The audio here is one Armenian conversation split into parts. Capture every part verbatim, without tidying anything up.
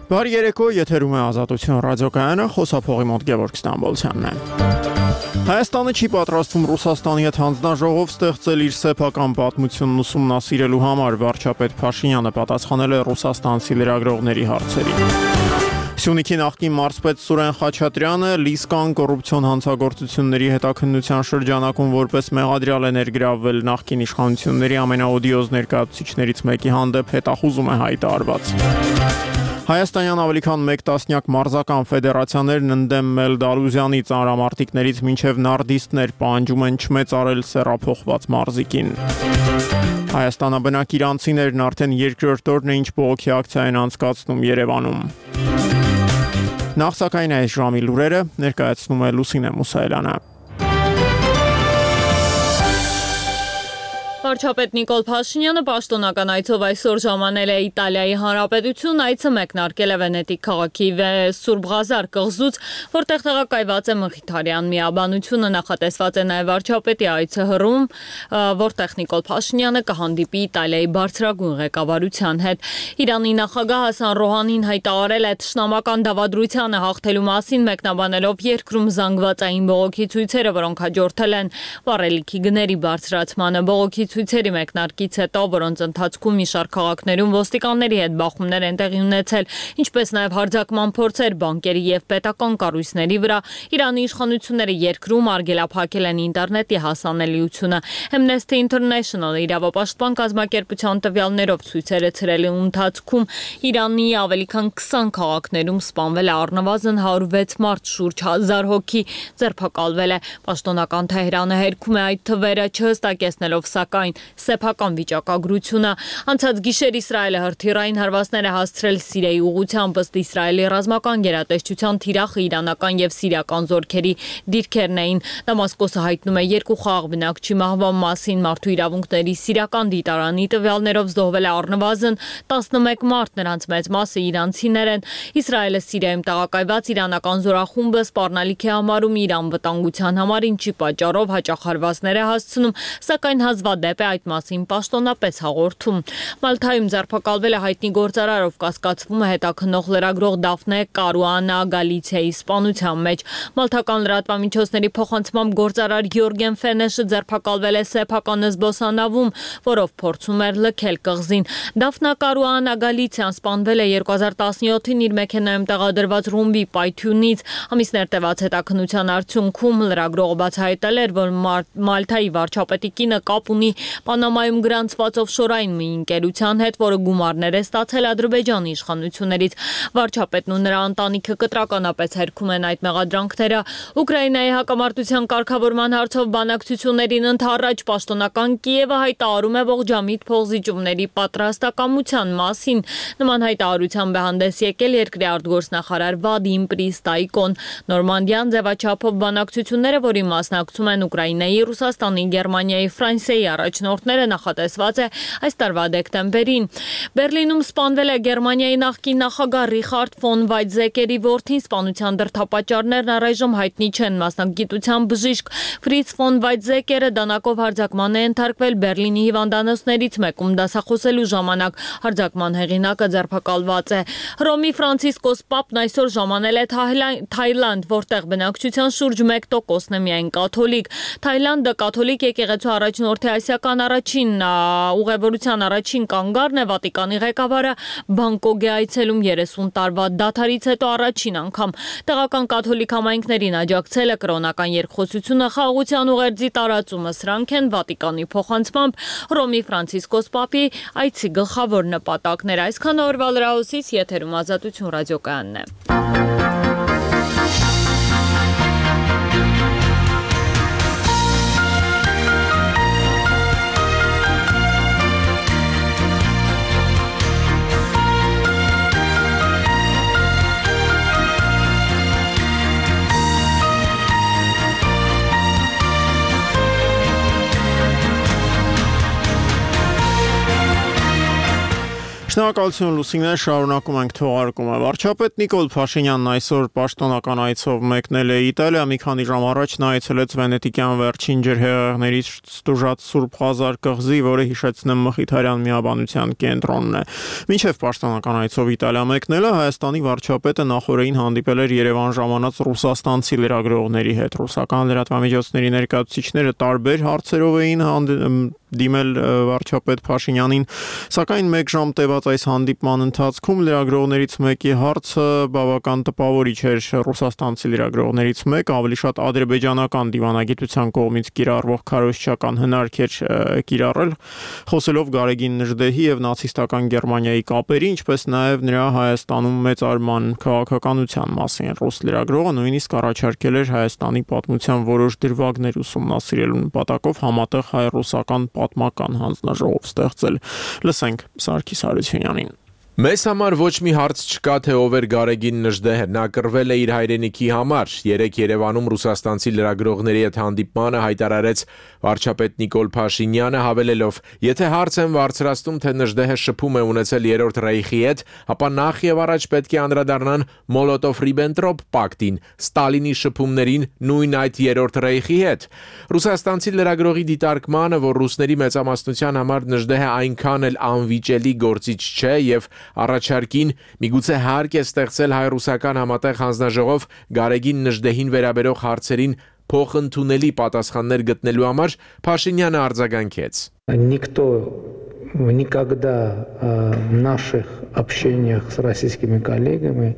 Բարի երեկո, եթերում է Ազատություն ռադիոկայանը, խոսափողի մոտ Գևորգ Ստամբոլցյանն է։ Հայաստանը չի պատրաստվում Ռուսաստանի հետ հանձնաժողով ստեղծել իր սեփական պատմությունն ուսումնասիրելու համար, վարչապետ Փաշինյանը պատասխանել է ռուսաստանցի լրագրողների հարցերին։ Սյունիքի նախկին մարզպետ Սուրեն Խաչատրյանը Լիսկան կոռուպցիոն հանցագործությունների հետաքննության շրջանակում որպես մեղադրյալ է ներգրավվել նախկին իշխանությունների ամենաօդիոզ ներկայացուցիչներից մեկի հանդեպ հետախուզում է հայտարարված։ Հայաստանյան ավելի քան մեկ տասնյակ մարզական ֆեդերացիաներն ընդդեմ Մելդալուզյանի ծանրամարտիկներից մինչև նարդիստներ պահանջում են չմեծարել սեռափոխված մարզիկին։ Հայաստանաբնակ իրանցիներն արդեն երկրորդ օրն է ինչ բողոքի ակցիա են անցկացնում Երևանում։ Նախ սակայն այս ժամի լուրերը ներկայացնում է Լուսինե Մուսայելյանը։ Վարչապետ Նիկոլ Փաշինյանը պաշտոնական այցով այսօր ժամանել է Իտալիայի Հանրապետություն, այցը մեկնարկել է Վենետիկ քաղաքի Սուրբ Ղազար կղզուց, որտեղ տեղակայված է Մխիթարյան միաբանությունը, նախատեսված է նաև վարչապետի այցը Հռում, որտեղ Նիկոլ Փաշինյանը կհանդիպի Իտալիայի բարձրագույն ղեկավարության հետ։ Իրանի նախագահ Հասան Ռոհանին հայտարարել է թշնամական դավադրությանը հաղթելու մասին, մեկնաբանելով երկրում զանգվածային բողոքի ցույցերը, որոնք հաջորդել են վառելիքի գների բարձրացմանը։ Բողոքի ցույցերի մեկնարկից հետո, որոնց ընթացքում մի շարք քաղաքներում ոստիկանների հետ բախումներ են տեղի ունեցել, ինչպես նաև հարձակման փորձեր բանկերի եւ պետական կառույցների վրա, Իրանի իշխանությունները երկրում արգելափակել են ինտերնետի հասանելիությունը։ Amnesty International իրավապաշտպան կազմակերպության տվյալներով ցույցերը ցրելու ընթացքում Իրանի ավելի քան քսան քաղաքներում սպանվել է առնվազն հարյուր վեց մարդ, շուրջ հազար հոգի ձերբակալվել է։ Պաշտոնական Թեհրանը հերքում է այդ թվերը, չհստակեցնելով սակայն սեփական վիճակագրությունը։ Անցած գիշեր Իսրայելը հրթիռային հարվածներ է հասցրել Սիրիայի ուղղությամբ, ըստ Իսրայելի ռազմական գերատեսչության թիրախը իրանական եւ սիրիական զորքերի դիրքերն էին։ Դամասկոսը հայտնում է երկու խաղաղ բնակչի մահվան մասին, մարդու իրավունքների սիրիական դիտարանի տվյալներով զոհվել է առնվազն տասնմեկ մարդ, նրանց մեծ մասը իրանցիներ են։ Իսրայելը Սիրիայում տեղակայված իրանական զորախումբը սպառնալիք է համարում իր անվտանգության համար, ինչի պատճառով հաճախ հարվածներ է հասցնում, սակայն հազվադեպ է այդ մասին պաշտոնապես հաղորդում։ Մալթայում ձերբակալվել է հայտնի գործարարով կասկածվում է հետաքննող լրագրող Դաֆնե Կարուանա Գալիցիայի սպանության մեջ։ Մալթական լրատվամիջոցների փոխանցմամբ գործարար Յորգեն Ֆենեշը ձերբակալվել է սեփական զբոսանավում, որով փորձում էր լքել կղզին։ Դաֆնա Կարուանա Գալիցիան սպանվել է երկու հազար տասնյոթին իր մեքենայում տեղադրված ռումբի պայթյունից։ Ամիսներ տևած հետաքննության արդյունքում լրագրողը բացահայտել էր, որ Մալթայի վարչապետի կինը կապ ունի Պանամայում գրանցված օֆշորային մի ընկերության հետ, որը գումարներ է ստացել Ադրբեջանի իշխանություններից։ Վարչապետն ու նրա ընտանիքը կտրականապես հերքում են այդ մեղադրանքները։ Ուկրաինայի հակամարտության կարգավորման հարցով բանակցություններին ընդառաջ պաշտոնական Կիևը հայտարարում է ողջամիտ փոխզիջումների պատրաստակամության մասին։ Նման հայտարարությամբ է հանդես եկել երկրի արտգործնախարար Վադիմ Պրիստայկոն։ Նորմանդյան ձևաչափով բանակցությունները, որի մասնակցում են Ուկրաինայի, Ռուսաստանի, Գերմանիայի, Ֆրանսիայի առաջնորդները, նախատեսված է այս տարվա դեկտեմբերին։ Բերլինում սպանվել է Գերմանիայի նախկին նախագահ Ռիխարդ ֆոն Վայցզեկերի որդին, սպանության դրդապատճառներն առայժմ հայտնի չեն։ Մասնագիտության բժիշկ Ֆրից ֆոն Վայցզեկերը դանակով հարձակման է ենթարկվել Բերլինի հիվանդանոցներից մեկում դասախոսելու ժամանակ։ Հարձակման հեղինակը ձերբակալված է։ Հռոմի Ֆրանցիսկոս Պապն այսօր ժամանել է Թայլանդ, որտեղ բնակչության շուրջ մեկ տոկոսն է միայն կաթոլիկ։ Թայլանդը կաթոլիկ եկեղեցու առաջնորդի ասիական առաջին ուղևորության առաջին կանգառն է։ Վատիկանի ղեկավարը Բանգկոկ է այցելում երեսուն տարվա դադարից հետո առաջին անգամ։ Տեղական կաթոլիկ համայնքներին աջակցելը, կրոնական երկխոսությունը, խաղաղության ուղերձի տարածումը, սրանք են Վատիկանի փոխանցմամբ Հռոմի Ֆրանցիսկոս Պապի այցի գլխավոր նպատակները։ Այսքան օրվա լրահոսից եթերում Ազատություն ռադիոկայանն է։ Շնորհակալություն Լուսինե, շարունակում ենք թողարկումը։ Վարչապետ Նիկոլ Փաշինյանն այսօր պաշտոնական այցով մեկնել է Իտալիա, մի քանի ժամ առաջ նա այցելեց վենետիկյան վերջին ջրհեղեղներից ստուժած Սուրբ Ղազար կղզի, որը հիշեցնեմ Մխիթարյան միաբանության կենտրոնն է։ Մինչև պաշտոնական այցով Իտալիա մեկնելը Հայաստանի վարչապետը նախորդին հանդիպել էր Երևան ժամանած ռուսաստանցի լրագրողների հետ։ Ռուսական լրատվամիջոցների ներկայացուցիչները տարբեր հարցերով էին դիմել վարչապետ Փաշինյանին, սակայն մեկ ժամ տևած այս հանդիպման ընթացքում լրագրողներից մեկի հարցը բավական տպավորիչ էր։ Ռուսաստանցի լրագրողներից մեկը ավելի շատ ադրբեջանական դիվանագիտության կողմից կիրառվող քարոզչական հնարք էր կիրառել, խոսելով Գարեգին Նժդեհի եւ նացիստական Գերմանիայի կապերի, ինչպես նաեւ նրա Հայաստանում մեծարման քաղաքականության մասին։ Ռուս լրագրողը նույնիսկ առաջարկել էր Հայաստանի պատմության որոշ դրվագներ ուսումնասիրելու նպատակով համատեղ հայ-ռուսական պատմական հանձնաժողով ստեղծել։ Լսենք Սարգիս Հարությունյանին։ Մեզ համար ոչ մի հարց չկա, թե ով էր Գարեգին Նժդեհը, նա կռվել է իր հայրենիքի համար։ Երեկ Երևանում ռուսաստանցի լրագրողների հետ հանդիպմանը հայտարարեց վարչապետ Նիկոլ Փաշինյանը, հավելելով. «Եթե հարց են բարձրացնում, թե Նժդեհը շփում է ունեցել Երրորդ Ռեյխի հետ, ապա նախ եւ առաջ պետք է անդրադառնան Մոլոտով-Ռիբենտրոպ պակտին, Ստալինի շփումներին, նույն այդ Երրորդ Ռեյխի հետ»։ Ռուսաստանցի լրագրողի դիտարկմանը, որ ռուսների մեծամասնության համար Նժդեհը այնքան էլ անվիճելի գործիչ չէ եւ առաջարկին միգուցե հարկ է ստեղծել հայ-ռուսական համատեղ հանձնաժողով Գարեգին Նժդեհին վերաբերող հարցերին փոխընդունելի պատասխաններ գտնելու համար, Փաշինյանը արձագանքեց. Никто никогда в наших общениях с российскими коллегами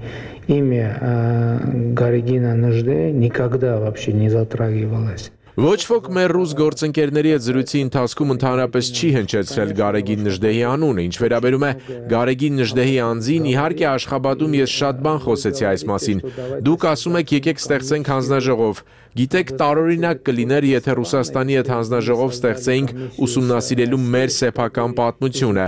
имя Гарегина Неждея никогда вообще не затрагивалось. Ոչ ոք մեր ռուս գործընկերների հետ զրույցի ընթացքում ընդհանրապես չի հնչեցրել Գարեգին Նժդեհի անունը, ինչ վերաբերում է Գարեգին Նժդեհի անձին, իհարկե Աշխաբադում ես շատ բան խոսեցի այս մասին։ Դուք ասում եք եկեք ստեղծենք հանձնաժողով։ Գիտեք, տարօրինակ կլիներ, եթե Ռուսաստանի հետ հանձնաժողով ստեղծեինք ուսումնասիրելու մեր սեփական պատմությունը։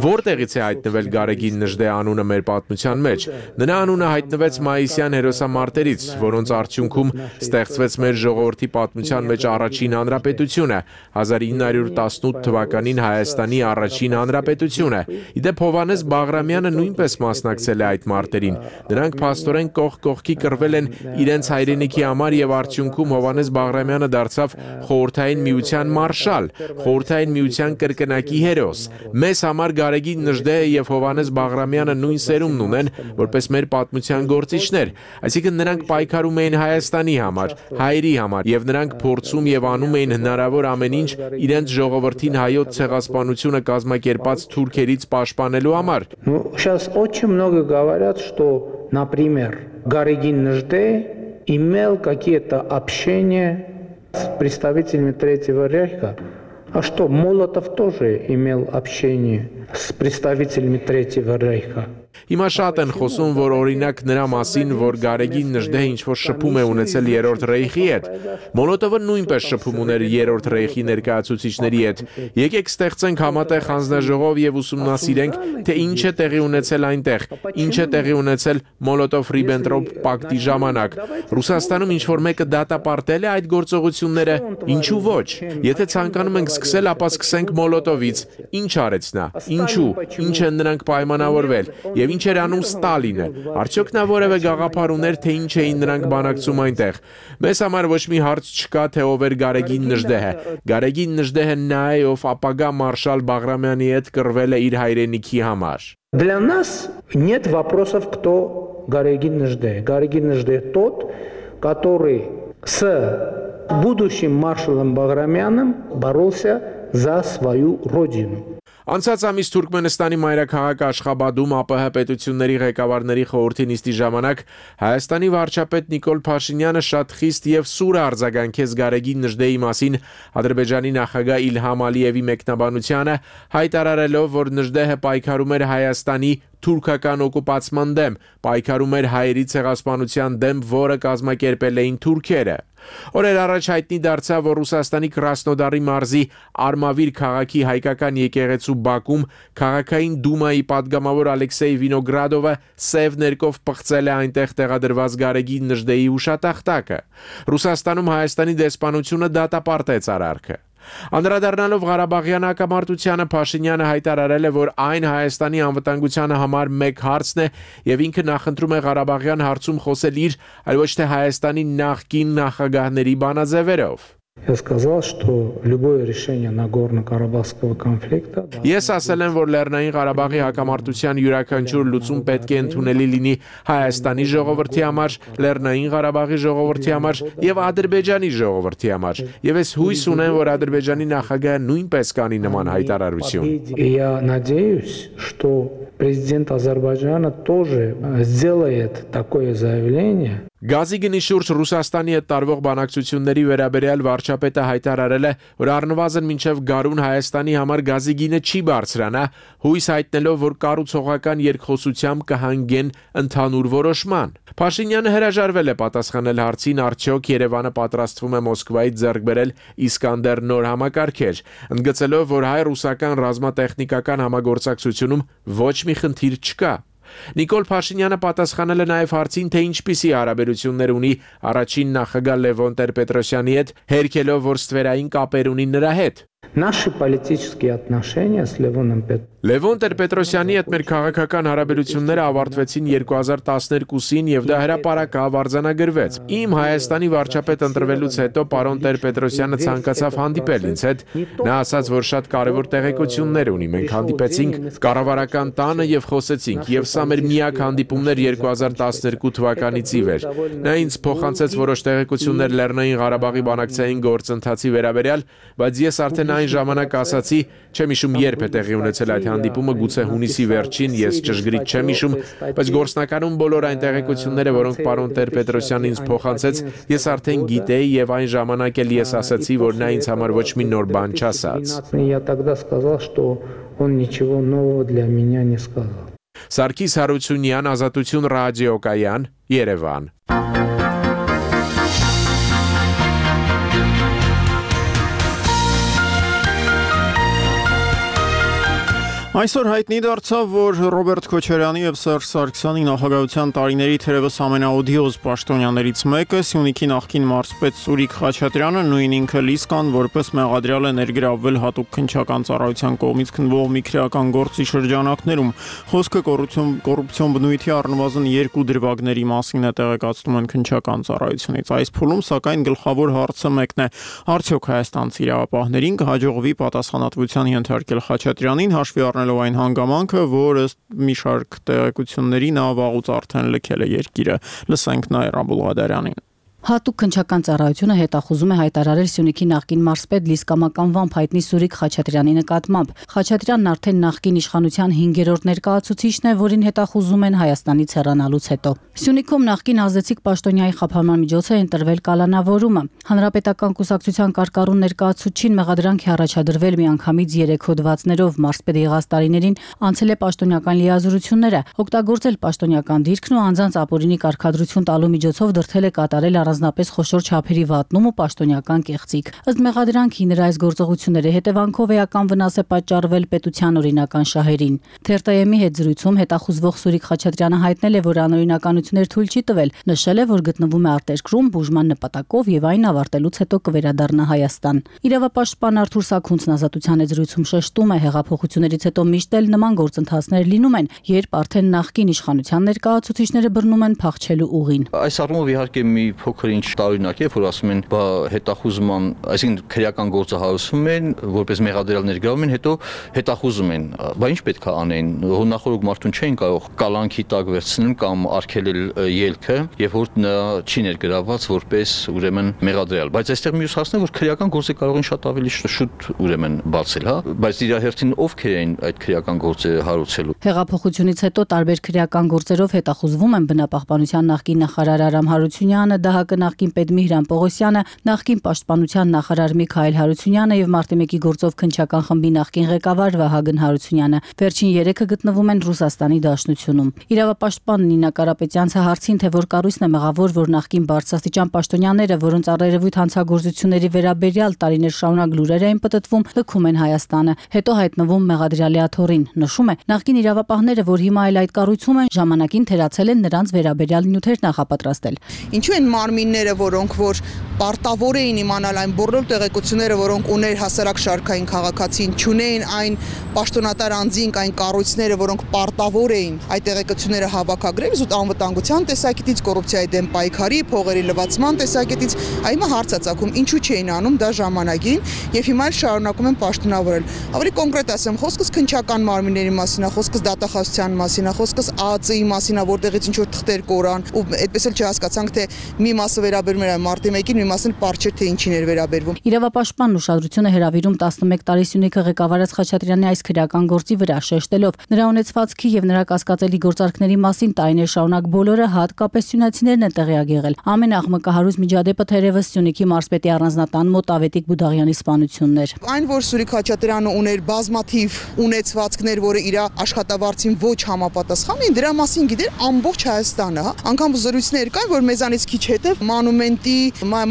Որտեղից է հայտնվել Գարեգին Նժդեհ անունը մեր պատմության մեջ։ Նրա անունը հայտնվեց մայիսյան հերոսամարտերից, որոնց արդյունքում ստեղծվեց մեր ժողովրդի պատմության մեջ առաջին հանրապետությունը, հազար ինը հարյուր տասնութ թվականին Հայաստանի առաջին հանրապետությունը։ Իդեպ Հովհաննես Բաղրամյանը նույնպես մասնակցել է այդ մարտերին։ Նրանք փաստորեն կողք կողքի կռվել են իրենց հայրենիքի համար եւ արդյունքում Հովհաննես Բաղրամյանը դարձավ Խորհրդային Միության մարշալ, Խորհրդային Միության կրկնակի հերոս։ Մեզ համար Գարեգին Նժդեհը եւ Հովհաննես Բաղրամյանը նույն սերունդն ունեն, որպես մեր պատմության գործիչներ, այսինքն նրանք պայքարում էին Հայաստանի համար, հայերի համար եւ նրանք փորձում եւ անում էին հնարավոր ամեն ինչ իրենց ժողովրդին հայոց ցեղասպանությունը կազմակերպած թուրքերից պաշտպանելու համար։ Ну, сейчас очень много говорят, что, например, Гарегин Неждех имел какие-то общения с представителями Третьего Рейха. А что, Молотов тоже имел общение с представителями Третьего Рейха? Հիմա շատ են խոսում, որ օրինակ նրա մասին, որ Գարեգին Նժդեհը ինչ-որ շփում է ունեցել Երրորդ Ռեյխի հետ։ Մոլոտովը նույնպես շփում ուներ Երրորդ Ռեյխի ներկայացուցիչների հետ։ Եկեք ստեղծենք համատեղ հանձնաժողով եւ ուսումնասիրենք, թե ինչ է տեղի ունեցել այնտեղ, ինչ է տեղի ունեցել Մոլոտով-Ռիբենտրոպ պակտի ժամանակ։ Ռուսաստանում ինչ-որ մեկը դատապարտել է այդ գործողությունները, ինչու ոչ։ Եթե ցանկանում ենք սկսել, ապա սկսենք Մոլոտովից։ Ինչ արեց նա։ Ինչու։ Ինչ են նրանք պայմանավորվել։ Եվ ինչ էր անում Ստալինը։ Արդյոք նա որևէ գաղափար ուներ, թե ինչ էին նրանք բանակցում այնտեղ։ Մեզ համար ոչ մի հարց չկա, թե ով էր Գարեգին Նժդեհը։ Գարեգին Նժդեհը նա է, ով ապագա մարշալ Բաղրամյանի հետ կռվել է իր հայրենիքի համար։ Для нас нет вопросов, кто Гарегин Неждех. Гарегин Неждех тот, который с будущим маршалом Баграмяном боролся за свою родину. Անցած ամիս Թուրքմենստանի մայրաքաղաք Աշխաբադում ԱՊՀ պետությունների ղեկավարների խորհրդի նիստի ժամանակ Հայաստանի վարչապետ Նիկոլ Փաշինյանը շատ խիստ եւ սուր արձագանքեց Գարեգին Նժդեհի մասին Ադրբեջանի նախագահ Իլհամ Ալիևի մեկնաբանությանը, հայտարարելով, որ Նժդեհը պայքարում էր Հայաստանի թուրքական օկուպացման դեմ, պայքարում էր հայերի ցեղասպանության դեմ, որը կազմակերպել էին թուրքերը։ Օրեր առաջ հայտնի դարձավ, որ Ռուսաստանի Կրասնոդարի մարզի Արմավիր քաղաքի հայկական եկեղեցու բակում քաղաքային դումայի падգամավոր Ալեքսեյ Վինոգրադովը սև ներկով պղծել է այնտեղ տեղադրված Գարեգին Նժդեհի հուշատախտակը։ Ռուսաստանում Հայաստանի դեսպանությունը դատապարտեց արարքը։ Անդրադառնալով Ղարաբաղյան հակամարտությանը Փաշինյանը հայտարարել է, որ այն Հայաստանի անվտանգությանը համար մեկ հարցն է եւ ինքը նախընտրում է Ղարաբաղյան հարցում խոսել իր, այլ ոչ թե Հայաստանի նախկին նախագահների բանաձևերով։ Я сказал, что любое решение Нагорно-Карабахского конфликта Ես ասել եմ, որ Լեռնային Ղարաբաղի հակամարտության յուրաքանչյուր լուծում պետք է ընդունելի լինի Հայաստանի ժողովրդի համար, Լեռնային Ղարաբաղի ժողովրդի համար եւ Ադրբեջանի ժողովրդի համար։ Եվ ես հույս ունեմ, որ Ադրբեջանի նախագահը նույնպես կանի նման հայտարարություն։ Я надеюсь, что президент Азербайджана тоже сделает такое заявление. Գազի գնի շուրջ Ռուսաստանի հետ տարվող բանակցությունների վերաբերյալ վարչապետը հայտարարել է, որ առնվազն մինչև գարուն Հայաստանի համար գազի գինը չի բարձրանա, հույս հայտնելով, որ կառուցողական երկխոսությամբ կհանգեն ընդհանուր որոշման։ Փաշինյանը հրաժարվել է պատասխանել հարցին, արդյոք Երևանը պատրաստվում է Մոսկվայից ձեռք բերել Իսկանդեր նոր համակարգեր, ընդգծելով, որ հայ-ռուսական ռազմատեխնիկական համագործակցությունում ոչ մի խնդիր չկա։ Նիկոլ Փաշինյանը պատասխանել է նաև հարցին, թե ինչպիսի հարաբերություններ ունի առաջին նախագահ Լևոն Տեր-Պետրոսյանի հետ, հերքելով, որ ստվերային կապեր ունի նրա հետ։ Наши политические отношения с Левоном Петросяном Լևոն Տեր-Պետրոսյանի հետ մեր քաղաքական հարաբերությունները ավարտվեցին երկու հազար տասներկուսին եւ դա հրապարակավ արձանագրվեց։ Իմ Հայաստանի վարչապետ ընտրվելուց հետո պարոն Տեր-Պետրոսյանը ցանկացավ հանդիպել ինձ հետ։ Նա ասաց, որ շատ կարևոր տեղեկություններ ունի։ Մենք հանդիպեցինք կառավարական տանը եւ խոսեցինք, եւ սա մեր միակ հանդիպումն էր երկու հազար տասներկու թվականից ի վեր։ Նա ինձ փոխանցեց որոշ տեղեկություններ Լեռնային Ղարաբաղի բանակցային գործընթացի վերաբերյալ, բայց ես արդեն այն ժամանակ ասացի, չեմ հիշում երբ է տեղի ունեցել այդ հանդիպումը, գուցե հունիսի վերջին, ես ճշգրիտ չեմ հիշում, բայց գործնականում բոլոր այն տեղեկությունները, որոնք պարոն Տեր-Պետրոսյանն ինձ փոխանցեց, ես արդեն գիտեի եւ այն ժամանակ էլ ես ասացի, որ նա ինձ համար ոչ մի նոր բան չասաց։ Я тогда сказал, что он ничего нового для меня не сказал. Սարգիս Հարությունյան, Ազատություն ռադիոկայան, Երևան։ Այսօր հայտնի դարձավ, որ Ռոբերտ Քոչարյանի եւ Սերժ Սարգսյանի նախագահության տարիների թերևս ամենաօդիոզ պաշտոնյաներից մեկը Սյունիքի նախկին մարզպետ Սուրիկ Խաչատրյանը նույն ինքը Լիսկան որպես մեղադրյալ է ներգրավվել հատուկ քննչական ծառայության կողմից քննվող մի քրեական գործի շրջանակներում։ Խոսքը կոռուպցիոն կոռուպցիոն բնույթի առնվազն երկու դրվագների մասին է տեղեկացնում են քննչական ծառայությունից։ Այս փուլում սակայն գլխավոր հարցը մեկն է. արդյոք հայաստանցի իրավապահներին կհաջողվի պատասխանատվության ենթարկել Խաչատրյանին, հաշվի առնելով այն հանգամանքը, որ ըստ մի շարք տեղեկությունների նա վաղուց արդեն լքել է երկիրը։ Լսենք Նաիրա Բուլղադարյանին։ Հատուկ քննչական ծառայությունը հետախուզում է հայտարարել Սյունիքի նախկին մարզպետ Լիսկամական վամբ հայտնի Սուրիկ Խաչատրյանի նկատմամբ։ Խաչատրյանն արդեն նախկին իշխանության հինգերորդ ներկայացուցիչն է, որին հետախուզում են Հայաստանից հեռանալուց հետո։ Սյունիքում նախկին ազդեցիկ պաշտոնյայի խափանման միջոց է ընտրվել կալանավորումը։ Հանրապետական կուսակցության կարկառուն ներկայացուցչին մեղադրանք է առաջադրվել միանգամից երեք հոդվածներով, մարզպետ եղած տարիներին անցել է պաշտոնյական լիազորությունները, օգտագործել պաշտոնյական դիրքն ու անձանց ապօրինի կարգադրություն տալու միջոցով դրդել է կատարել առանձնապես խոշոր չափերի վատնում ու պաշտոնյական կեղծիք։ Ըստ մեղադրանքի նրա այս գործողությունների հետևանքով էական վնաս է պատճառվել պետության օրինական շահերին։ Թերթ-ի հետ զրույցում հետախուզվող Սուրիկ Խաչատրյանը հայտնել է, որ անօրինականություններ թույլ չի տվել, նշել է, որ գտնվում է արտերկրում բուժման նպատակով եւ այն ավարտելուց հետո կվերադառնա Հայաստան։ Իրավապաշտպան Արթուր Սաքունցն Ազատության հետ զրույցում շեշտում է, հեղափոխություններից հետո միշտ էլ նման գործընթացներ լինում են, երբ արդեն նախկին իշխանության ներկայացուցիչները բռնում են փախչելու ուղին։ Այս առումով իհարկե մի փոքր ինչ տարօրինակ է, որ ասում են, բա հետախուզման, այսինքն քրեական գործը հարուցում են, որպես մեղադրյալ ներգրավում են, հետո հետախուզում են։ Բա ինչ պետք է անեն։ Հունախորոք մարդուն չեն կարող կալանքի տակ վերցնել կամ արգելել ելքը, եւ որ նա չի ներգրավված որպես ուրեմն մեղադրյալ։ Բայց այստեղ մյուս հարցն է, որ քրեական գործը կարող են շատ ավելի շուտ ուրեմն բացել, հա, բայց իր հերթին ովքեր են այդ քրեական գործը հարուցելու։ Հեղափոխությունից հետո տարբեր քրեական գործերով հետախուզվում են բնապահպանության նախկին նախարար Արամ Հարությունյանը, ԴՀԿ նախկին պետ Միհրան Պողոսյանը, նախկին պաշտպանության նախարար Միքայել Հարությունյանը եւ մարտի մեկի գործով քննչական խմբի նախկին ղեկավար Վահագն Հարությունյանը։ Վերջին երեքը գտնվում են Ռուսաստանի Դաշնությունում։ Իրավապաշտպան Նինա Կարապետյանցը հարցին, թե որ կառույցն է մեղավոր, որ նախկին բարձրաստիճան պաշտոնյաները, որոնց առերևույթ հանցագործությունների վերաբերյալ տարիներ շարունակ լուրեր էին պտտվում, լքում են Հայաստանը, հետո հայտնվում մեղադրյալի աթոռին։ Նշում է, նախկին իրավապահները, որ հիմա էլ այդ կառույցում են, ժամանակին թերացել են նրանց վերաբերյալ նյութեր նախապատրաստել։ Ինչու են մարմին մարմինները, որոնք որ պարտավոր էին իմանալ այն բոլոր տեղեկությունները, որոնք ուներ հասարակ շարքային քաղաքացին, չունեին այն պաշտոնատար անձինք, այն կառույցները, որոնք պարտավոր էին այդ տեղեկությունները հավաքագրել, զուտ անվտանգության տեսակետից, կոռուպցիայի դեմ պայքարի, փողերի լվացման տեսակետից, այմա հարց է ծագում, ինչու չէին անում դա ժամանակին եւ հիմա էլ շարունակում են պաշտոնավորել։ Ավելի կոնկրետ ասեմ, խոսքս քննչական մարմինների մասին է, խոսքս դատախազության մասին է, խոսքս ԱԱԾ-ի մասին է, որտեղից ինչ որ թղթեր կորան, ու այդպես էլ չհասկացանք, թե մի մասը վերաբերում էր մարտի մեկին, մի մասը պարզ չէր, թե ինչին էր վերաբերվում։ Իրավապաշտպանն ուշադրությունը հրավիրում տասնմեկ տարի Սյունիքը ղեկավարած Խաչատրյանի այս քրեական գործի վրա, շեշտելով նրա ունեցվածքի եւ նրա կասկածելի գործարքների մասին տարիներ շարունակ բոլորը, հատկապես սյունեցիներն են տեղյակ եղել։ Ամեն աղմկահարույց միջադեպը թերևս Սյունիքի մարզպետի առանձնատան մոտ Ավետիք Բուդաղյանի սպանությունն էր։ Այն, որ Սուրիկ Խաչատրյանը ուներ բազմաթիվ ունեցվածքներ, որը իր աշխատավարձին ոչ համապատասխան էին, դրա մասին գիտեր ամբողջ Հայաստանը, հա։ Անկամ զրույցներ կան, որ մեզանից քիչ հետո Մանումենտի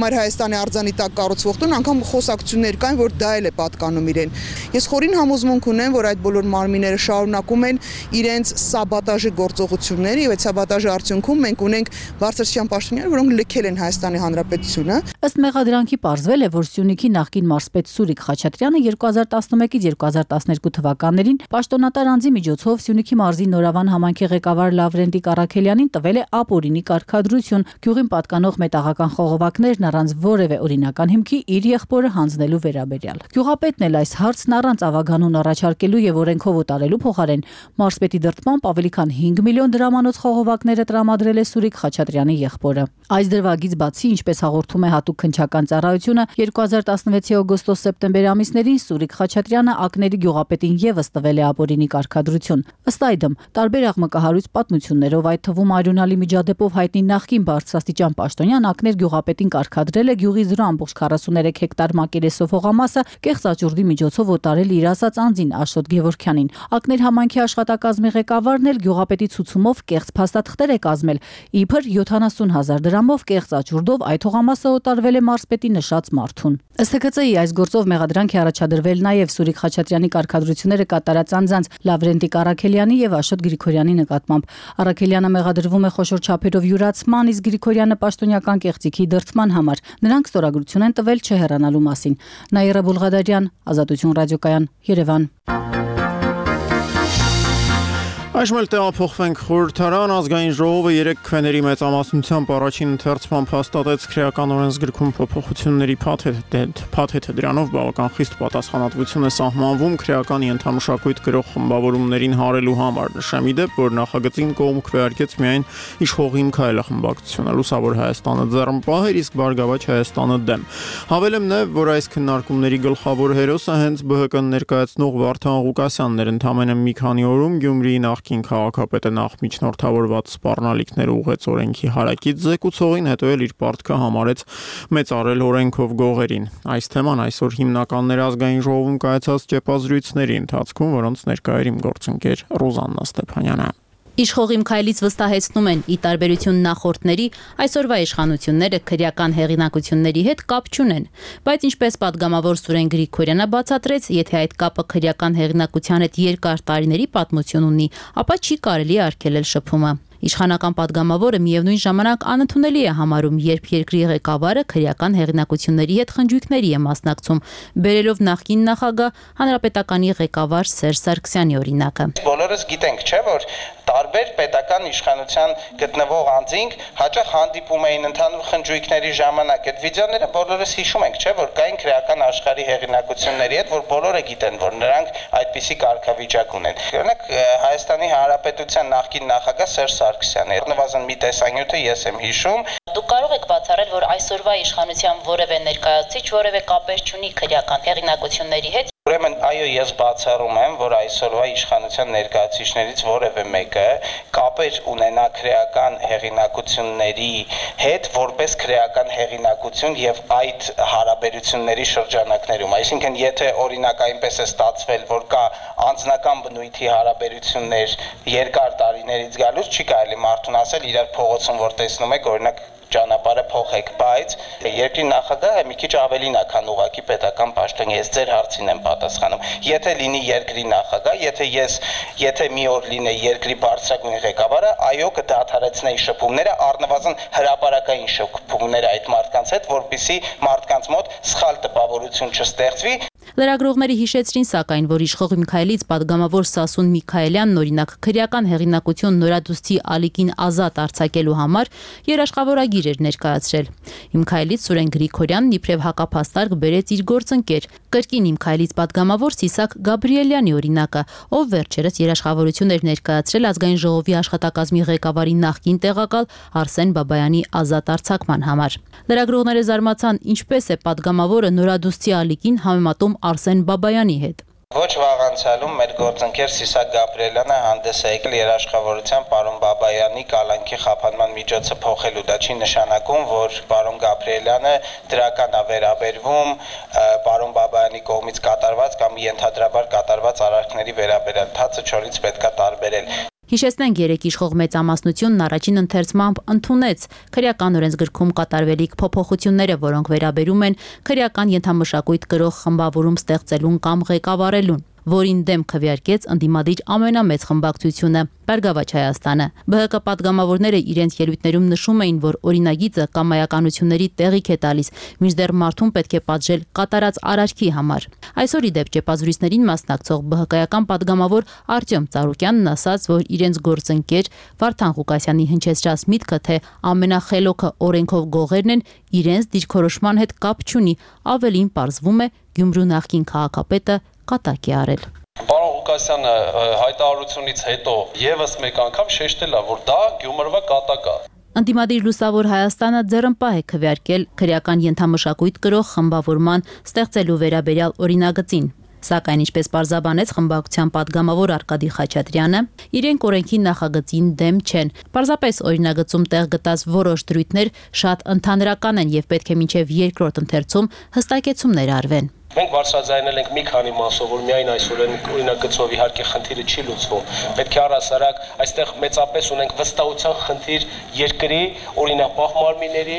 Մայր Հայաստանի արձանի տակ կառուցվող տուն անգամ խոսակցություններ կան, որ դա էլ է պատկանում իրեն։ Ես խորին համոզմունք ունեմ, որ այդ բոլոր մարմինները շարունակում են իրենց սաբոտաժի գործողությունները, եւ այդ սաբոտաժի արդյունքում մենք ունենք բարձրաստիճան պաշտոնյաներ, որոնք լքել են Հայաստանի Հանրապետությունը։ Ըստ մեղադրանքի պարզվել է, որ Սյունիքի նախկին մարզպետ Սուրիկ Խաչատրյանը երկու հազար տասնմեկից երկու հազար տասներկու թվականներին պաշտոնատար անձի միջոցով Սյունիքի մարզի Նորավան համայնքի ղեկավար Լավրենտի Կարաքելյանին տվել է ապօրինի կարգադրություն, գյուղին պատկանող մետաղական խողովակներն առանց որևէ օրինական հիմքի իր եղբորը հանձնելու վերաբերյալ։ Գյուղապետն էլ այս հարցն առանց ավագանուն առաջարկելու եւ օրենքով օտարելու փոխարեն մարզպետի դրդմամբ ավելի քան հինգ միլիոն դրամանոց խողովակները տրամադրել է Սուրիկ Խաչատրյանի եղբորը։ Այս դրվագից բացի, ինչպես հաղորդում է հատուկ քննչական ծառայությունը, երկու հազար տասնվեցի օգոստոս-սեպտեմբեր ամիսներին Սուրիկ Խաչատրյանը ակների գյուղապետին եւս տվել է ապօրինի կարգադրություն։ Ըստ այդմ, տարբեր աղմկահարույց պատմություններով, այդ թվում արյունալի միջադեպով հայտնի նախկին բարձրաստիճան պաշտոնյան ակներ գյուղապետին կարգադրել է գյուղի զրո ամբողջ քառասուներեք հեկտար մակերեսով հողամասը կեղծ աճուրդի միջոցով օտարել իր ասած անձին Աշոտ Գևորգյանին։ Ակներ համայնքի աշխատակազմի ղեկավարն էլ գյուղապետի ցուցումով կեղծ փաստաթղթեր է կազմել, իբր յոթանասուն հազար դրամով կեղծ աճուրդով այդ հողամասը օտարվել է մարզպետի նշած մարդուն։ Ըստ Թ Ք Ծ-ի այս գործով մեղադրանք է առաջադրվել նաև Սուրիկ Խաչատրյանի կարգադրությունները կատարած անձանց Լավրենտի Կարաքելյանի եւ Աշոտ Գրիգորյանի նկատմամբ։ Արաքելյանը մեղադրվում է խոշոր չափերով յուրացման, իսկ Գրիգորյանը պաշտոնյական կեղծիքի դրդման համար։ Նրանք ստորագրություն են տվել չհեռանալու մասին։ Նաիրա Բուլղադարյան, Ազատություն ռադիոկայան, Երևան։ Այժմ էլ տեղափոխվենք խորհրդարան, ազգային ժողովը երեք քվեների մեծամասնությամբ առաջին ընթերցման հաստատեց քրեական օրենսգրքում փոփոխությունների փաթեթը, դրանով բավական խիստ պատասխանատվություն է սահմանվում քրեական ենթամշակույթ գրող խմբավորումներին հարելու համար։ Նշեմ ի դեպ, որ նախագծին կողմ քվեարկեց միայն իշխող Հիմքայելը խմբակցությունը, Լուսավոր Հայաստանը ձեռնպահ էր, իսկ Բարգավաճ Հայաստանը դեմ։ Հավելեմ նաև, որ այս քննարկումների գլխավոր հերոսը հենց Բ Հ Կ-ն ներկայացնող Վարդան Ղուկասյանն էր, ընդամենը մի քանի օրում Գյումրիի նախկին քաղաքապետը նախ միջնորդավորված սպառնալիքներ ուղղեց օրենքի հարակից զեկուցողին, հետո էլ իր պարտքը համարեց մեծարել օրենքով գողերին։ Այս թեման այսօր հիմնականներ ազգային ժողովում կայացած ճեպազրույցների ընթացքում, որոնց ներկա էր իմ գործընկեր Ռոզաննա Ստեփանյանը։ Իշխող Հիմքայելից վստահեցնում են, ի տարբերություն նախորդների, այսօրվա իշխանությունները քրեական հեղինակությունների հետ կապ չունեն, բայց ինչպես падգամավոր Սուրեն Գրիգորյանը բացատրեց, եթե այդ կապը քրեական հեղինակության հետ երկար տարիների պատմություն ունի, ապա չի կարելի արգելել շփումը։ Իշխանական падգամավորը միևնույն ժամանակ անընդունելի է համարում, երբ երկրի ղեկավարը քրեական հեղինակությունների հետ խնջույքների է մասնակցում, բերելով նախկին նախագահ հանրապետականի ղեկավար Սերժ Սարգսյանի օրինակը։ Բոլորս գիտենք, չէ՞, որ տարբեր պետական իշխանության գտնվող անձինք հաճախ հանդիպում էին ընդհանուր խնջույքների ժամանակ։ Այդ վիդեոները բոլորս հիշում ենք, չէ՞, որ կային քրեական աշխարհի հեղինակությունների հետ, որ բոլորը գիտեն, որ նրանք այդպիսի կարգավիճակ ունեն։ Օրինակ Հայաստանի Հանրապետության նախկին նախագահ Սերժ Սարգսյանը, նվազեն մի տեսանյութը ես եմ հիշում։ Դուք կարող եք բացառել, որ այսօրվա իշխանության որևէ ներկայացուցիչ որևէ կապեր չունի քրեական հեղինակությունների հետ։ Ուրեմն այո, ես բացառում եմ, որ այսօրվա իշխանության ներկայացուցիչներից որևէ մեկը կապեր ունենա քրեական հեղինակությունների հետ, որպես քրեական հեղինակություն եւ այդ հարաբերությունների շրջանակներում։ Այսինքն, եթե օրինակ այնպես է ստացվել, որ կա անձնական բնույթի հարաբերություններ երկար տարիներից գալուց, չի կարելի մարդուն ասել իրար փողոցում որ տեսնում եք, օրինակ ճանապարհը փոխեք, բայց երկրի նախագահը մի քիչ ավելին է, քան ուղղակի պետական պաշտոնյա, ես ձեր հարցին եմ պատասխանում։ Եթե լինի երկրի նախագահ, եթե ես եթե մի օր լինեի երկրի բարձրագույն ղեկավարը, այո, կդադարեցնեի շփումները, առնվազն հրապարակային շփումները այդ մարդկանց հետ, որպեսզի մարդկանց մոտ սխալ տպավորություն չստեղծվի։ Լրագրողների հիշեցրին սակայն, որ իշխող Միքայելից падգամավոր Սասուն Միքայելյանն օրինակ քրեական հեղինակություն նորադուստի ալիքին ազատ արձակելու համար երաշխավորագիր էր ներկայացրել։ Միքայելից Սուրեն Գրիգորյանն իբրև հակափաստարկ բերեց իր գործընկեր, կրկին Միքայելից падգամավոր Սիսակ Գաբրիելյանի օրինակը, ով վերջերս երաշխավորություն էր ներկայացրել ազգային ժողովի աշխատակազմի ղեկավարի նախկին տեղակալ Արսեն Բաբայանի ազատ արձակման համար։ Լրագրողները զարմացան, ինչպես է падգամավորը նորադուստի ալիքին համեմատում Արսեն Բաբայանի հետ։ Ոչ վաղ անցյալում մեր գործընկեր Սիսակ Գաբրիելյանը հանդես է եկել երաշխավորության պարոն Բաբայանի կալանքի խափանման միջոցը փոխելու։ Դա չի նշանակում, որ պարոն Գաբրիելյանը դրական է վերաբերվում պարոն Բաբայանի կողմից կատարված կամ ենթադրաբար կատարված արարքների վերաբերյալ։ Թացը չորից պետք է տարբերել։ Հիշեցնենք երեք իշխող մեծամասնությունն առաջին ընթերցմամբ ընդունեց քրեական օրենսգրքում կատարվելիք փոփոխությունները, որոնք վերաբերում են քրեական ենթամշակույթ կրող խմբավորում ստեղծելուն կամ ղեկավարելուն, որին դեմ քվեարկեց ընդդիմադիր ամենամեծ խմբակցությունը Բարգավաճ Հայաստանը։ Բը հը կը պատգամավորները իրենց ելույթներում նշում էին, որ օրինագիծը կամայականությունների տեղիք է տալիս, մինչդեռ մարդուն պետք է պատժել կատարած արարքի համար։ Այսօր ի դեպ ճեպազրույցներին մասնակցող բը հը կայական պատգամավոր Արտյոմ Ծառուկյանն ասաց, որ իրենց գործընկեր Վարդան Ղուկասյանի հնչեցրած միտքը, թե ամենախելոքը օրենքով գողերն են, իրենց դիրքորոշման հետ կապ չունի, ավելին պարզվում է Գյումրու նախկին քաղաքապետը կատակ է արել։ Պարոն Ղուկասյանը հայտարարությունից հետո եւս մեկ անգամ շեշտել է, որ դա Գյումրվա կատակ է։ Ընդդիմադիր Լուսավոր Հայաստանը ձեռնպահ է քվեարկել քրեական ենթամշակույթ կրող խմբավորման ստեղծելու վերաբերյալ օրինագծին։ Սակայն ինչպես պարզաբանեց խմբակցության падգամավոր Արկադի Խաչատրյանը, իրենք օրենքի նախագծին դեմ չեն։ Պարզապես օրինագծում տեղ գտած որոշ դրույթներ շատ ընդհանրական են եւ պետք է մինչեւ երկրորդ ընթերցում հստակեցումներ արվեն։ Մենք բարձրաձայնել ենք մի քանի մասով, որ միայն այսօր օրինագծով իհարկե խնդիրը չի լուծվում։ Պետք է առհասարակ այստեղ մեծապես ունենք վստահության խնդիր երկրի օրինապահ մարմինների,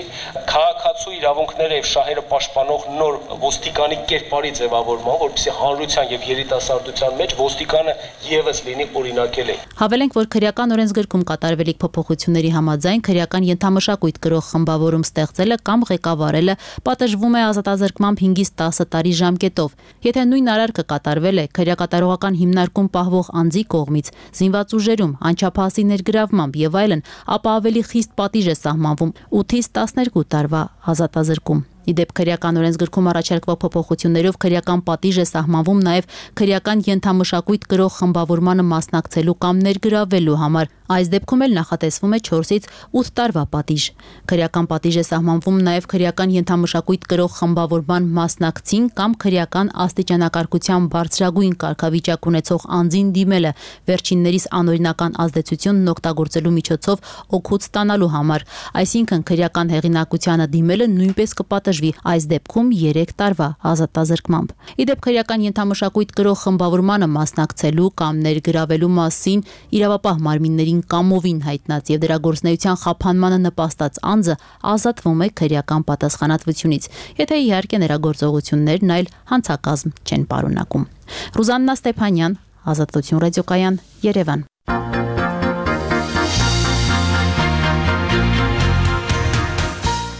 քաղաքացու իրավունքները եւ շահերը պաշտպանող նոր ոստիկանի կերպարի ձևավորման, որպեսզի հանրության եւ երիտասարդության մեջ ոստիկանը եւս լինի օրինակելի։ Հավելենք, որ քրեական օրենսգրքում կատարվելիք փոփոխությունների համաձայն քրեական ենթամշակույթ կրող խմբավորում ստեղծելը կամ ղեկավարելը պատժվում է ազատազրկմամբ հինգից տասը տարի ժամկետով։ Եթե նույն արարքը կատարվել է քրեակատարողական հիմնարկում պահվող անձի կողմից, զինված ուժերում, անչափահասի ներգրավմամբ եւ այլն, ապա ավելի խիստ պատիժ է սահմանվում ութից տասներկու տարվա ազատազրկում։ Իդեպ քրեական օրենսգրքում առաջարկվող փոփոխություններով քրեական պատիժ է սահմանվում նաև քրեական ենթամշակույթ կրող խմբավորմանը մասնակցելու կամ ներգրավելու համար։ Այս դեպքում էլ նախատեսվում է չորսից ութ տարվա պատիժ։ Քրեական պատիժ է սահմանվում նաև քրեական ենթամշակույթ կրող խմբավորման մասնակցին կամ քրեական աստիճանակարգության բարձրագույն կարգավիճակ ունեցող անձին դիմելը վերջիններիս անօրինական ազդեցությունն օգտագործելու միջոցով օգուտ ստանալու համար։ Այսինքն քրեական հեղինակությանը դիմելը նույնպես կպատժ այս դեպքում երեք տարվա ազատազրկմամբ։ Իդեպ քրեական ենթամշակույթ կրող խմբավորմանը մասնակցելու կամ ներգրավելու մասին իրավապահ մարմիններին կամովին հայտնած եւ դրա գործունեության խափանմանը նպաստած անձը ազատվում է քրեական պատասխանատվությունից, եթե իհարկե նրա գործողություններն այլ հանցակազմ չեն պարունակում։ Ռուզաննա Ստեփանյան, Ազատություն ռադիոկայան, Երևան։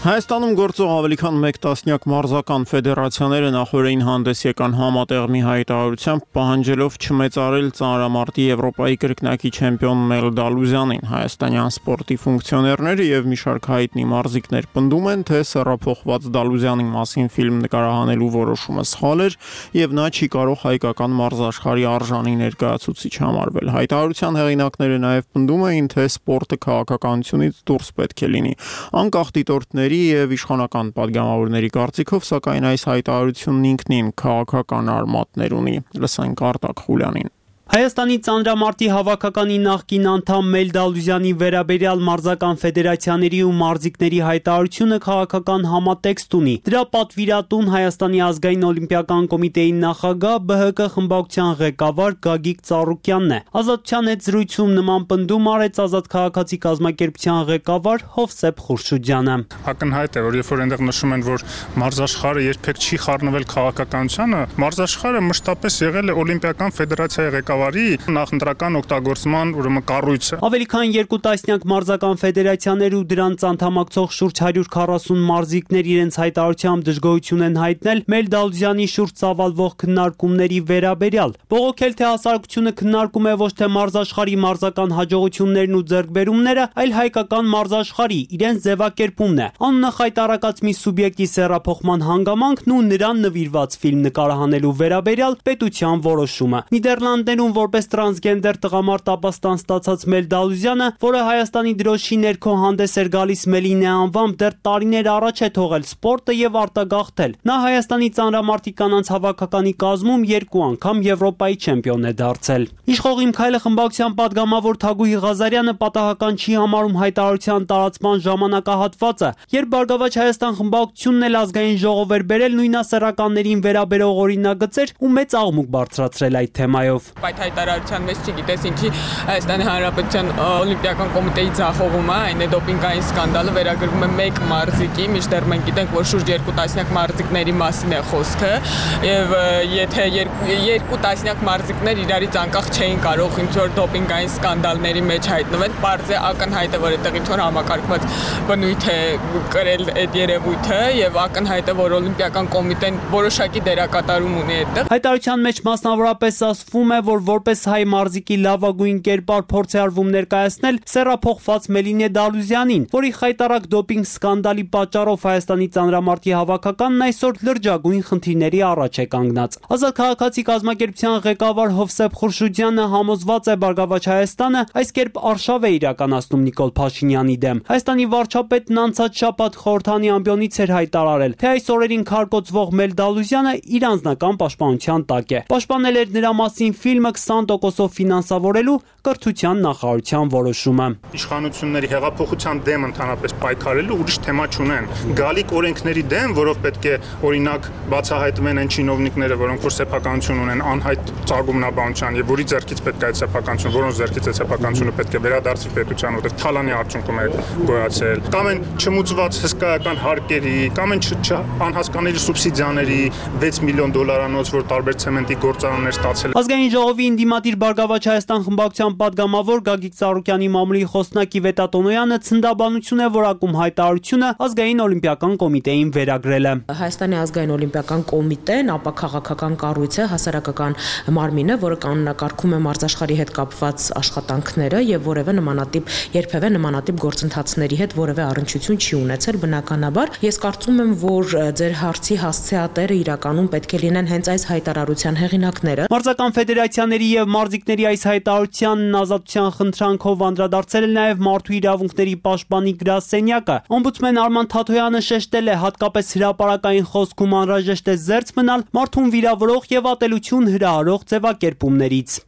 Հայաստանում գործող ավելի քան մեկ տասնյակ մարզական ֆեդերացիաները նախորդին հանդես եկան համատեղ մի հայտարարությամբ պահանջելով չմեծարել ծանրամարտի Եվրոպայի կրկնակի չեմպիոն Մել Դալուզյանին։ Հայաստանյան սպորտի ֆունկցիոներները եւ մի շարք հայտնի մարզիկներ պնդում են, թե սեռափոխված Դալուզյանի մասին ֆիլմ նկարահանելու որոշումը սխալ էր եւ նա չի կարող հայկական մարզաշխարհի արժանի ներկայացուցիչ համարվել։ Հայտարարության հեղինակները նաեւ պնդում էին, թե սպորտը քաղաքականությունից դուրս պետք է լինի։ Անկախ դիտորդների եւ իշխանական падգամավորների կարծիքով, սակայն այս հայտարարությունն ինքնին քաղաքական արմատներ ունի։ Լսենք Արտակ Խուլյանին։ Հայաստանի ծանրամարտի հավաքականի նախկին անդամ Մելդալուզյանի վերաբերյալ մարզական ֆեդերացիաների ու մարզիկների հայտարարությունը քաղաքական համատեքստ ունի։ Դրա պատվիրատուն Հայաստանի ազգային օլիմպիական կոմիտեի նախագահ Բ Հ Կ խմբակցության ղեկավար Գագիկ Ծառուկյանն է։ Ազատության հետ զրույցում նման պնդում արեց Ազատ քաղաքացի կազմակերպության ղեկավար Հովսեփ Խուրշուդյանը։ Ակնհայտ է, որ երբ որ այնտեղ նշում են, որ մարզաշխարհը երբեք չի խառնվել քաղաքականությանը, մարզաշխարհը մշտապես եղել է օլիմպիական ֆեդերացիայի ղեկավարի նախընտրական օգտագործման ուրեմն կառույցը։ Ավելի քան երկու տասնյակ մարզական ֆեդերացիաներ ու դրանց անդամակցող շուրջ հարյուր քառասուն մարզիկներ իրենց հայտարարությամբ դժգոհություն են հայտնել Մելդալուզյանի շուրջ ծավալվող քննարկումների վերաբերյալ։ Բողոքել թե հասարակությունը քննարկում է ոչ թե մարզաշխարհի մարզական հաջողություններն ու ձեռքբերումները, այլ հայկական մարզաշխարհի իրենց ձևակերպումն է։ Անունը խայտարակած մի սուբյեկտի սեռափոխման հանգամանքն ու նրան նվիրված ֆիլմ նկարահանելու վերաբերյալ պետության որոշումը։ Նիդերլանդներում որպես տրանսգենդեր տղամարդ ապաստան ստացած Մելդալուզյանը, որը Հայաստանի դրոշի ներքո հանդես էր գալիս Մելինե անվամբ, դեռ տարիներ առաջ է թողել սպորտը եւ արտագաղթել։ Նա Հայաստանի ծանրամարտի կանանց հավաքականի կազմում երկու անգամ Եվրոպայի չեմպիոն է դարձել։ Իշխող Իմ Քայլը խմբակցության падգամավոր Թագուհի Ղազարյանը պատահական չի համարում հայտարարության տարածման ժամանակահատվածը, երբ Բարգավաճ Հայաստան խմբակցությունն էլ ազգային ժողով էր բերել նույնասեռականներին վերաբերող օրինագծեր ու մեծ աղմուկ բարձրացրել այդ թեմայով։ Այդ հայտարարության մեջ չգիտես ինչի Հայաստանի Հանրապետության օլիմպիական կոմիտեի ձախողումը, այն է դոպինգային սկանդալը վերագրվում է մեկ մարզիկի, մինչդեռ մենք գիտենք, որ շուրջ երկու տասնյակ մարզիկների մասին է խոսքը, եւ եթե երկու տասնյակ մարզիկներ իրարից անկախ չէին կարող ինչ-որ դոպինգային սկանդալների մեջ հայտնվել, բարձ է ակնհայտ է, որ այդտեղ ինչ-որ համակարգված բնույթ է կրել այդ երևույթը եւ ակնհայտ է, որ օլիմպիական կոմիտեն որոշակի դերակատարում ունի այդտեղ։ Հայտարարության մեջ մասնավորապես ասվում է, որ որպես հայ մարզիկի լավագույն կերպար փորձ է արվում ներկայացնել սեռափոխված Մելինե Դալուզյանին, որի խայտարակ դոպինգ սկանդալի պատճառով Հայաստանի ծանրամարտի հավաքականն այսօր լրջագույն խնդիրների առաջ է կանգնած։ Ազատ քաղաքացի կազմակերպության ղեկավար Հովսեփ Խուրշուդյանը համոզված է Բարգավաճ Հայաստանը այս կերպ արշավ է իրականացնում Նիկոլ Փաշինյանի դեմ։ Հայաստանի վարչապետն անցած շաբաթ խորհրդանի ամբիոնից էր հայտարարել, թե այս օրերին քարկոծվող Մելդալուզյանը իր անձնական պաշտպանության տակ է։ Պաշտպանել էր նրա մասին ֆիլմը քսան տոկոսով ֆինանսավորելու կրթության նախարարության որոշումը։ Իշխանությունների հեղափոխության դեմ ընդհանրապես պայքարելու ուրիշ թեմա չունեն։ Գալիք օրենքների դեմ, որով պետք է օրինակ բացահայտվեն այն չինովնիկները, որոնք որ սեփականություն ունեն անհայտ ծագումնաբանության եւ որի ձեռքից պետք է այդ սեփականություն, որոնց ձեռքից այդ սեփականությունը պետք է վերադարձվի պետության, որտեղ թալանի արդյունքում է գոյացել, կամ են չմուծված հսկայական հարկերի, կամ են անհասկանալի սուբսիդիաների վեց միլիոն դոլարանոց, որ տարբեր ցեմենտի գործարաններ ստացել։ Ազգային ժողովի ինդիմատիր Բարգավաճ Հայաստան խմբակցության падգամավոր Գագիկ Ծառուկյանի մամուլի խոսնակի Վետատոնոյանը ցնդաբանություն է որակում հայտարարությունը ազգային օլիմպիական կոմիտեին վերագրելը։ Հայաստանի ազգային օլիմպիական կոմիտեն ապա քաղաքական կառույց է, հասարակական մարմին է, որը կանոնակարգում է մարզաշխարհի հետ կապված աշխատանքները եւ որևէ նմանատիպ երբևէ նմանատիպ գործընթացների հետ որևէ առնչություն չի ունեցել բնականաբար։ Ես կարծում եմ, որ ձեր հարցի հասցեատերը իրականում պետք է լինեն հենց այս հայտարարության հեղինակները։ Մարզական ֆեդերացիաների եւ մարզիկների այս հայտարարությանն ազատության խնդրանքով անդրադարձել է նաեւ Մարդու իրավունքների պաշտպանի գրասենյակը։ Օմբուդսմեն Արման Թաթոյանը շեշտել է, հատկապես հրապարակային խոսքում անհրաժեշտ է զերծ մնալ մարդուն վիրավորող եւ ատելություն հրահարող ձևակերպումներից։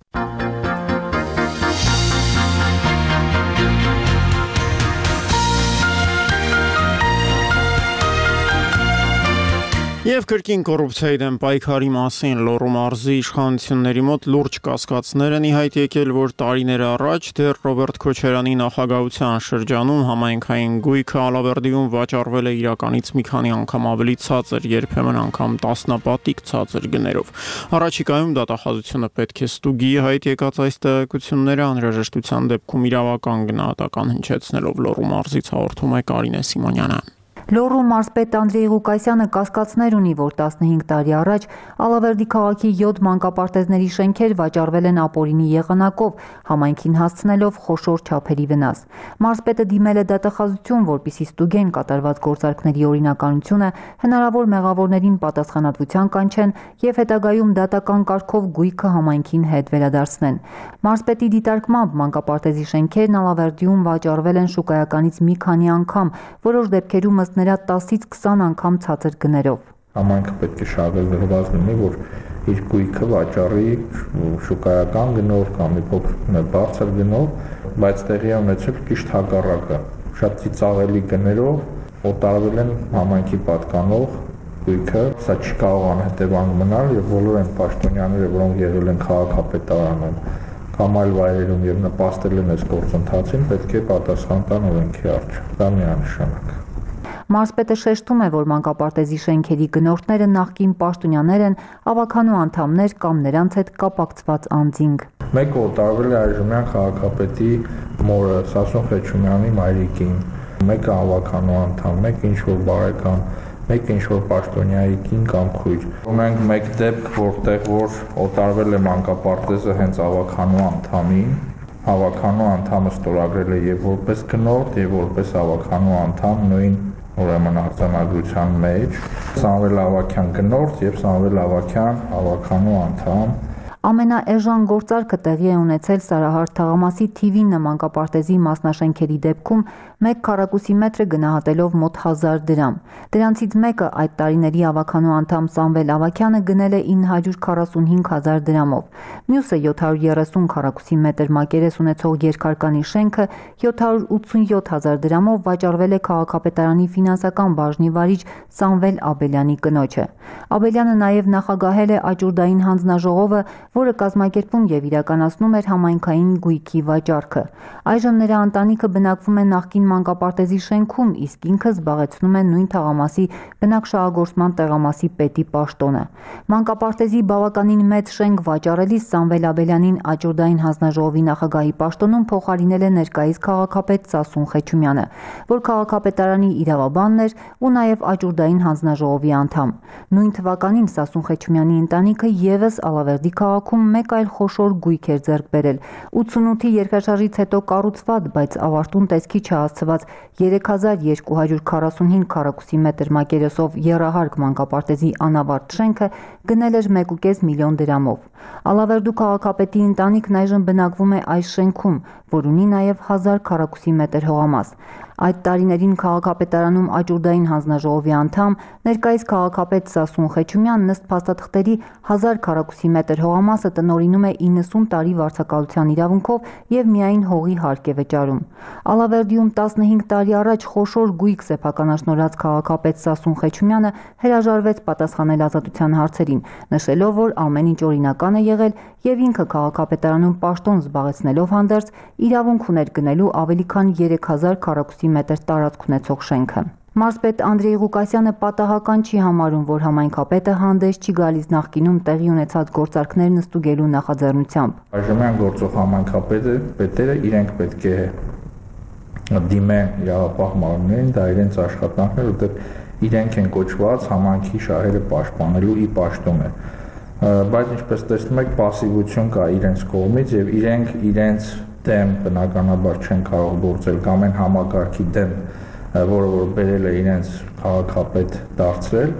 Եվ կրկին կոռուպցիայի դեմ պայքարի մասին Լոռու մարզի իշխանությունների մոտ լուրջ կասկածներ են ի հայտ եկել, որ տարիներ առաջ դեռ Ռոբերտ Քոչարյանի նախագահության շրջանում համայնքային գույքը Ալավերդիում վաճառվել է իրականից մի քանի անգամ ավելի ցածր, երբեմն անգամ տասնապատիկ ցածր գներով։ Առաջիկայում դատախազությունը պետք է ստուգի հայտ եկած այս տեղեկությունները, անհրաժեշտության դեպքում իրավական գնահատական հնչեցնելով Լոռու մարզից հաղորդում է Կարինե Սիմոնյանը։ Լոռու մարզպետ Անդրեյ Ղուկասյանը կասկածներ ունի, որ տասնհինգ տարի առաջ Ալավերդի քաղաքի յոթ մանկապարտեզների շենքեր վաճառվել են ապօրինի եղանակով, համայնքին հասցնելով խոշոր չափերի վնաս։ Մարզպետը դիմել է դատախազություն, որպեսզի ստուգեն կատարված գործարքների օրինականությունը, հնարավոր մեղավորներին պատասխանատվության կանչեն եւ հետագայում դատական կարգով գույքը համայնքին հետ վերադարձնեն։ Մարզպետի դիտարկմամբ մանկապարտեզի շենքերն Ալավերդիում վաճառվել են շուկայականից մի քանի անգամ, որոշ դեպքերում նրա տասից քսան անգամ ցածր գներով։ Համայնքը պետք է շահագրգռված լինի, որ իր գույքը վաճառի շուկայական գնով կամ մի փոքր բարձր գնով, բայց տեղի է ունեցել ճիշտ հակառակը։ Շատ ծիծաղելի գներով օտարվել են համայնքի պատկանող գույքը, սա չի կարող անհետևանք մնալ եւ բոլոր այն պաշտոնյաները, որոնք եղել են քաղաքապետարանում կամ այլ վայրերում եւ նպաստել են այս գործընթացին, պետք է պատասխան տան օրենքի առջ։ Դա միանշանակ։ Մարզպետը շեշտում է, որ մանկապարտեզի շենքերի գնորդները նախկին պաշտոնյաներ են, ավականու անդամներ կամ նրանց հետ կապակցված անձինք։ Մեկը օտարվել է այժմյան քաղաքապետի մորը Սասուն Խեչումյանի մայրիկին, մեկը ավականու անդամ, մեկը ինչ-որ բարեկամ, մեկը ինչ-որ պաշտոնյայի կին կամ քույր։ Ունենք մեկ դեպք, որտեղ որ օտարվել է մանկապարտեզը հենց ավականու անդամին, ավականու անդամը ստորագրել է եւ որպես գնորդ եւ որպես ավականու անդամ նույն ուրեմն արձանագրության մեջ Սամվել Ավագյան գնորդ եւ Սամվել Ավագյան ավականու անդամ։ Ամենաէժան գործարքը տեղի է ունեցել Սարահարթ թաղամասի Թիվինը մանկապարտեզի մասնաշենքերի դեպքում մեկ քառակուսի մետրը գնահատելով մոտ հազար դրամ։ Դրանցից մեկը այդ տարիների ավականու անդամ Սամվել Ավագյանը գնել է ինը հարյուր քառասունհինգ հազար դրամով։ Մյուսը յոթ հարյուր երեսուն քառակուսի մետր մակերես ունեցող երկհարկանի շենքը յոթ հարյուր ութսունյոթ հազար դրամով վաճառվել է քաղաքապետարանի ֆինանսական բաժնի վարիչ Սամվել Աբելյանի կնոջը։ Աբելյանը նաև նախագահել է աճուրդային հանձնաժողովը, որը կազմակերպում եւ իրականացնում էր համայնքային գույքի վաճառքը։ Այժմ նրա ընտանիքը բնակվում է նախկին մանկապարտեզի շենքում, իսկ ինքը զբաղեցնում է նույն թաղամասի բնակշահագործման տեղամասի պետի պաշտոնը։ Մանկապարտեզի բավականին մեծ շենք վաճառելիս Սամվել Աբելյանին աճուրդային հանձնաժողովի նախագահի պաշտոնում փոխարինել է ներկայիս քաղաքապետ Սասուն Խեչումյանը, որ քաղաքապետարանի իրավաբանն էր ու նաեւ աճուրդային հանձնաժողովի անդամ։ Նույն թվականին Սասուն Խեչումյանի ընտանիքը եւս Ալավերդի քաղաքում մեկ այլ խոշոր գույք էր ձեռք բերել։ ութսունութի երկրաշարժից հետո կառուցված, բայց ավարտուն տեսքի չհասցված երեք հազար երկու հարյուր քառասունհինգ քառակուսի մետր մակերեսով եռահարկ մանկապարտեզի անավարտ շենքը գնել էր մեկ կես միլիոն դրամով։ Ալավերդու քաղաքապետի ընտանիքն այժմ բնակվում է այս շենքում, որ ունի նաև հազար քառակուսի մետր հողամաս։ Այդ տարիներին քաղաքապետարանում աճուրդային հանձնաժողովի անդամ, ներկայիս քաղաքապետ Սասուն Խեչումյանն ըստ փաստաթղթերի հազար քառակուսի մետր հողամասը տնօրինում է իննսուն տարի վարձակալության իրավունքով եւ միայն հողի հարկ է վճարում։ Ալավերդիում տասնհինգ տարի առաջ խոշոր գույք սեփականաշնորհած քաղաքապետ Սասուն Խեչումյանը հրաժարվեց պատասխանել ազատության հարցերին, նշելով, որ ամեն ինչ օրինական է եղել եւ ինքը քաղաքապետարանում պաշտոն զբաղեցնելով հանդերձ իրավունք ուներ գնելու ավելի քան երեք հազար քառակուսի մետր տարածք ունեցող շենքը։ Մարզպետ Անդրեյ Ղուկասյանը պատահական չի համարում, որ համայնքապետը հանդես չի գալիս նախկինում տեղի ունեցած գործարքներն ստուգելու նախաձեռնությամբ։ Այժմյան գործող համայնքապետը պետերը իրենք պետք է դիմեն իրավապահ մարմիններին, դա իրենց աշխատանքն է, որտեղ իրենք են կոչված համայնքի շահերը պաշտպանելու ի պաշտոնը։ Բայց ինչպես տեսնում եք, пассивություն կա իրենց կողմից եւ իրենք իրենց դեմ բնականաբար չեն կարող գործել կամ այն համակարգի դեմ, որը որ բերել է իրենց քաղաքապետ դարձրել։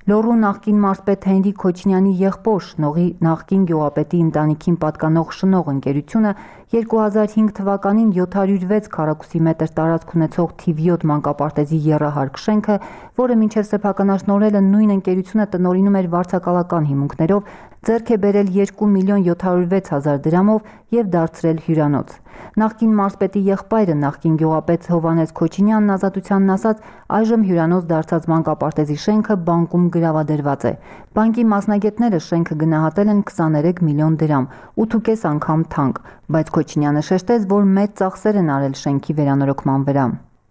Լոռու նախկին մարզպետ Հենրիկ Քոչինյանի եղբոր Շնողի նախկին գյուղապետի ընտանիքին պատկանող Շնող ընկերությունը երկու հազար հինգ թվականին յոթ հարյուր վեց քառակուսի մետր տարածք ունեցող թիվ յոթ մանկապարտեզի եռահարկ շենքը, որը մինչև սեփականաշնորհելը նույն ընկերությունը տնօրինում էր վարձակալական հիմունքներով, ձեռք է բերել երկու միլիոն յոթ հարյուր վեց հազար դրամով եւ դարձրել հյուրանոց։ Նախկին մարզպետի եղբայրը նախկին գյուղապետ Հովհաննես Քոչինյանն ազատությանն ասաց, այժմ հյուրանոց դարձած մանկապարտեզի շենքը բանկում գրավադրված է։ Բանկի մասնագետները շենքը գնահատել են քսաներեք միլիոն դրամ, ութ ու կես անգամ թանկ, բայց Քոչինյանը շեշտեց, որ մեծ ծախսեր են արել շենքի վերանորոգման վրա։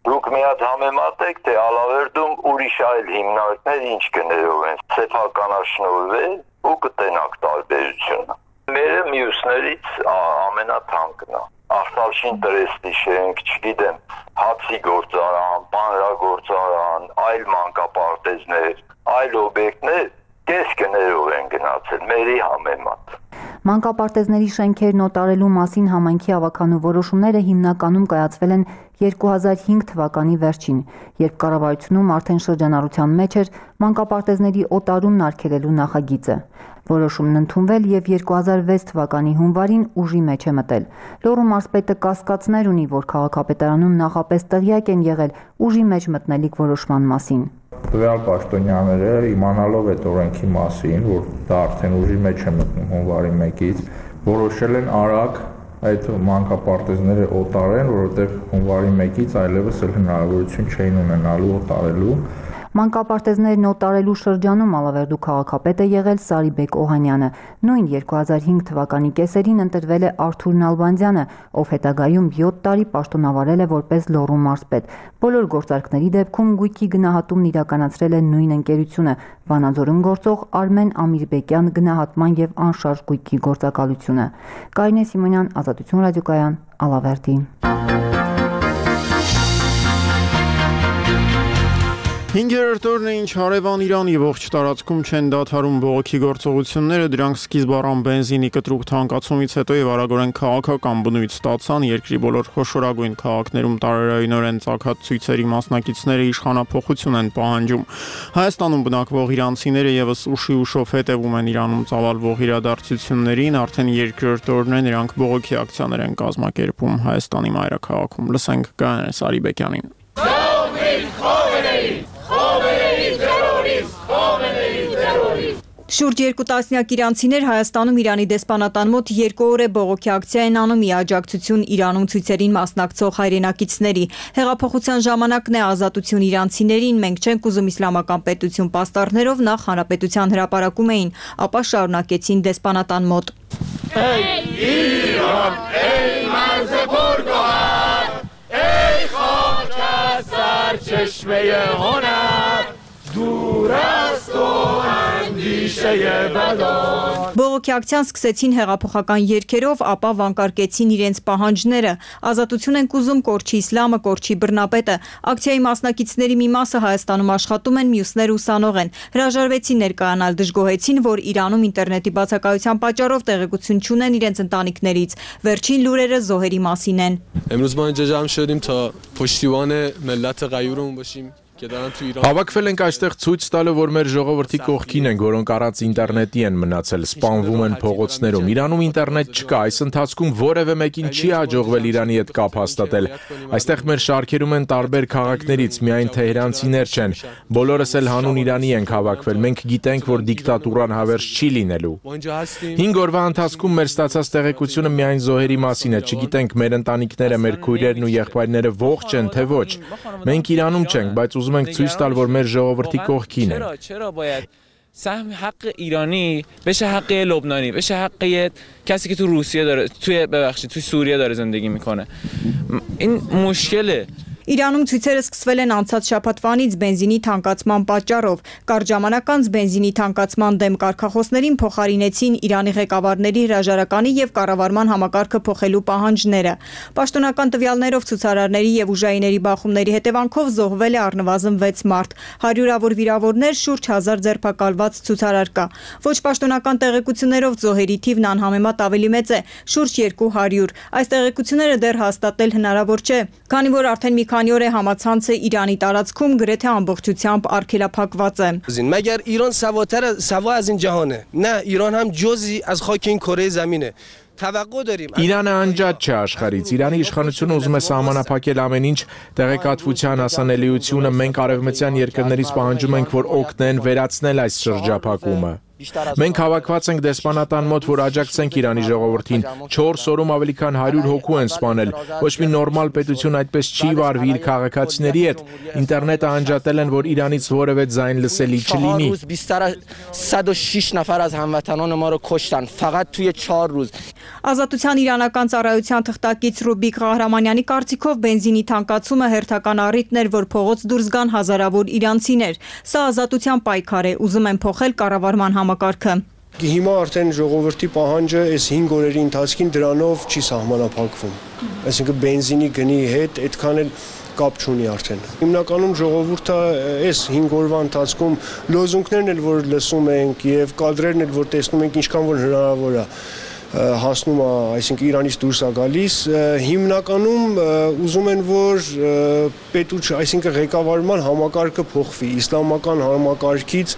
Դուք մի հատ համեմատեք, թե Ալավերդում ուրիշ այլ հիմնարկներ ինչ գներով են սեփականաշնորհվել ու կտենակ տարբերությունը։ Մերը մյուսներից ամենաթանկն է։ Ախտալշին տրեստի շենք, չգիտեմ, հացի գործարան, պանրագործարան, այլ մանկապարտեզներ, այլ օբյեկտներ կես գներով են գնացել մերի համեմատ։ Մանկապարտեզների շենքերն օտարելու մասին համայնքի ավականու որոշումները հիմնականում կայացվել են երկու հազար հինգ թվականի վերջին, երբ կառավարությունում արդեն շրջանառության մեջ էր մանկապարտեզների օտարումն արգելելու նախագիծը։ Որոշումն ընդունվել եւ երկու հազար վեց թվականի հունվարին ուժի մեջ է մտել։ Լոռու մարզպետը կասկածներ ունի, որ քաղաքապետարանում նախապես տեղյակ են եղել ուժի մեջ մտնելիք որոշման մասին։ Տվյալ պաշտոնյաները իմանալով այդ օրենքի մասին, որ դա արդեն ուժի մեջ է մտնում հունվարի մեկից, որոշել են արագ այդ մանկապարտեզները օտարեն, որովհետև հունվարի մեկից այլևս էլ հնարավորություն չէին ունենալու օտարելու։ Մանկապարտեզներն օտարելու շրջանում Ալավերդու քաղաքապետ է եղել Սարիբեկ Օհանյանը։ Նույն երկու հազար հինգ թվականի կեսերին ընտրվել է Արթուր Նալբանդյանը, ով հետագայում յոթ տարի պաշտոնավարել է որպես Լոռու մարզպետ։ Բոլոր գործարքների դեպքում գույքի գնահատումն իրականացրել է նույն ընկերությունը՝ Վանաձորում գործող Արմեն Ամիրբեկյան գնահատման եւ անշարժ գույքի գործակալությունը։ Կարինե Սիմոնյան, Ազատություն ռադիոկայան, Ալավերդի։ Հինգերորդ օրն է, ինչ հարևան Իրանի ողջ տարածքում չեն դադարում բողոքի գործողությունները, դրանք սկիզբ առան բենզինի կտրուկ թանկացումից հետո եւ արագորեն քաղաքական բնույթ ստացան, երկրի բոլոր խոշորագույն քաղաքներում տարերայինորեն ծագած ցույցերի մասնակիցները իշխանափոխություն են պահանջում։ Հայաստանում բնակվող իրանցիները եւս ուշի ուշով հետևում են Իրանում ծավալվող իրադարձություններին, արդեն երկրորդ օրն է նրանք բողոքի ակցիաներ են կազմակերպում Հայաստանի մայրաքաղաքում։ Լսենք Գայանե Սարիբեկյանին։ Շուրջ երկու տասնյակ իրանցիներ Հայաստանում Իրանի դեսպանատան մոտ երկու օր է բողոքի ակցիա են անում ի աջակցություն Իրանում ցույցերին մասնակցող հայրենակիցների։ Հեղափոխության ժամանակն է ազատություն իրանցիներին, մենք չենք ուզում իսլամական պետություն պաստառներով, նախ հանրապետության հրապարակում էին, ապա շարունակեցին դեսպանատան մոտ։ Բողոքի ակցիան սկսեցին հեղափոխական երգերով, ապա վանկարկեցին իրենց պահանջները։ Ազատություն ենք ուզում, կորչի իսլամը, կորչի բռնապետը։ Ակցիայի մասնակիցների մի մասը Հայաստանում աշխատում են, մյուսները ուսանող են։ Հրաժարվեցին ներկայանալ, դժգոհեցին, որ Իրանում ինտերնետի բացակայության պատճառով տեղեկություն չունեն իրենց ընտանիքներից։ Վերջին լուրերը զոհերի մասին են։ امروز ما اینجا جمع شدیم تا پشتیبان ملت غیورمون باشیم Հավաքվել ենք այստեղ ցույց տալու, որ մեր ժողովրդի կողքին ենք, որոնք առանց ինտերնետի են մնացել, սպանվում են փողոցներում։ Իրանում ինտերնետ չկա, այս ընթացքում որևէ մեկին չի հաջողվել Իրանի հետ կապ հաստատել։ Այստեղ մեր շարքերում են տարբեր քաղաքներից, միայն թեհրանցիներ չեն։ Բոլորս էլ հանուն Իրանի ենք հավաքվել։ Մենք գիտենք, որ դիկտատուրան հավերժ չի լինելու։ Հինգ օրվա ընթացքում մեր ստացած տեղեկությունը միայն զոհերի մասին է, չգիտենք մեր ընտանիքները, մեր քույրերն ու եղբայրները ողջ են, թե ոչ։ Մենք Իրանում չենք, բայց ուզում ենք ցույց տալ, որ մեր ժողովրդի կողքին են։ سهم حق ایرانی بشه حق لبنانی بشه حق کسی که تو روسیه داره توی ببخشید توی سوریه داره زندگی میکنه این مشکله Իրանում ցույցերը սկսվել են անցած շաբաթվանից բենզինի թանկացման պատճառով։ Կարճ ժամանակ անց բենզինի թանկացման դեմ կարգախոսներին փոխարինեցին Իրանի ղեկավարների հրաժարականի եւ կառավարման համակարգը փոխելու պահանջները։ Պաշտոնական տվյալներով ցուցարարների եւ ուժայիների բախումների հետևանքով զոհվել է առնվազն վեց մարդ, հարյուրավոր վիրավորներ, շուրջ հազար ձերբակալված ցուցարար կա։ Ոչ պաշտոնական տեղեկություններով զոհերի թիվն անհամեմատ ավելի մեծ է, շուրջ երկու հարյուր։ Այս տեղեկությունները դեռ հաստատել հնարավոր չէ, քանի որ արդեն մի քանի օր է համացանցը Իրանի տարածքում գրեթե ամբողջությամբ արգելափակված է։ مگر ایران سواتر سوا از این جهانه نه ایران هم جزئی از خاک این کره زمینه Իրանը անջատ չէ աշխարհից։ Իրանի իշխանությունը ուզում է սահմանափակել ամեն ինչ, տեղեկատվության հասանելիությունը։ Մենք արևմտյան երկրներից պահանջում ենք, որ օգնեն վերացնել այս շրջափակումը։ Մենք հավաքված ենք դեսպանատան մոտ, որ աջակցենք Իրանի ժողովրդին։ չորս օրում ավելի քան հարյուր հոգու են սպանել։ Ոչ մի նորմալ պետություն այդպես չի վարվի իր քաղաքացիների հետ։ Ինտերնետը անջատել են, որ Իրանից որևէ ձայն լսելի չլինի։ صد و شش نفر از هموطنان ما رو کشتن فقط توی چهار روز Ազատության իրանական ծառայության թղթակից Ռուբիկ Ղահրամանյանի կարծիքով բենզինի թանկացումը հերթական առիթն էր, որ փողոց դուրս գան հազարավոր իրանցիներ։ Սա ազատության պայքար է, ուզում են փոխել կառավարման համակարգը։ Հիմա արդեն ժողովրդի պահանջը այս հինգ օրերի ընթացքին դրանով չի սահմանափակվում։ Այսինքն բենզինի գնի հետ այդքան էլ կապ չունի արդեն։ Հիմնականում ժողովուրդը այս հինգ օրվա ընթացքում լոզունգներն էլ որ լսում ենք եւ կադրերն էլ որ տեսնում ենք ինչքան որ հնարավոր է հասնում է, այսինքն Իրանից դուրս է գալիս, հիմնականում ուզում են որ պետուչ, այսինքն ղեկավարման համակարգը փոխվի, իսլամական համակարգից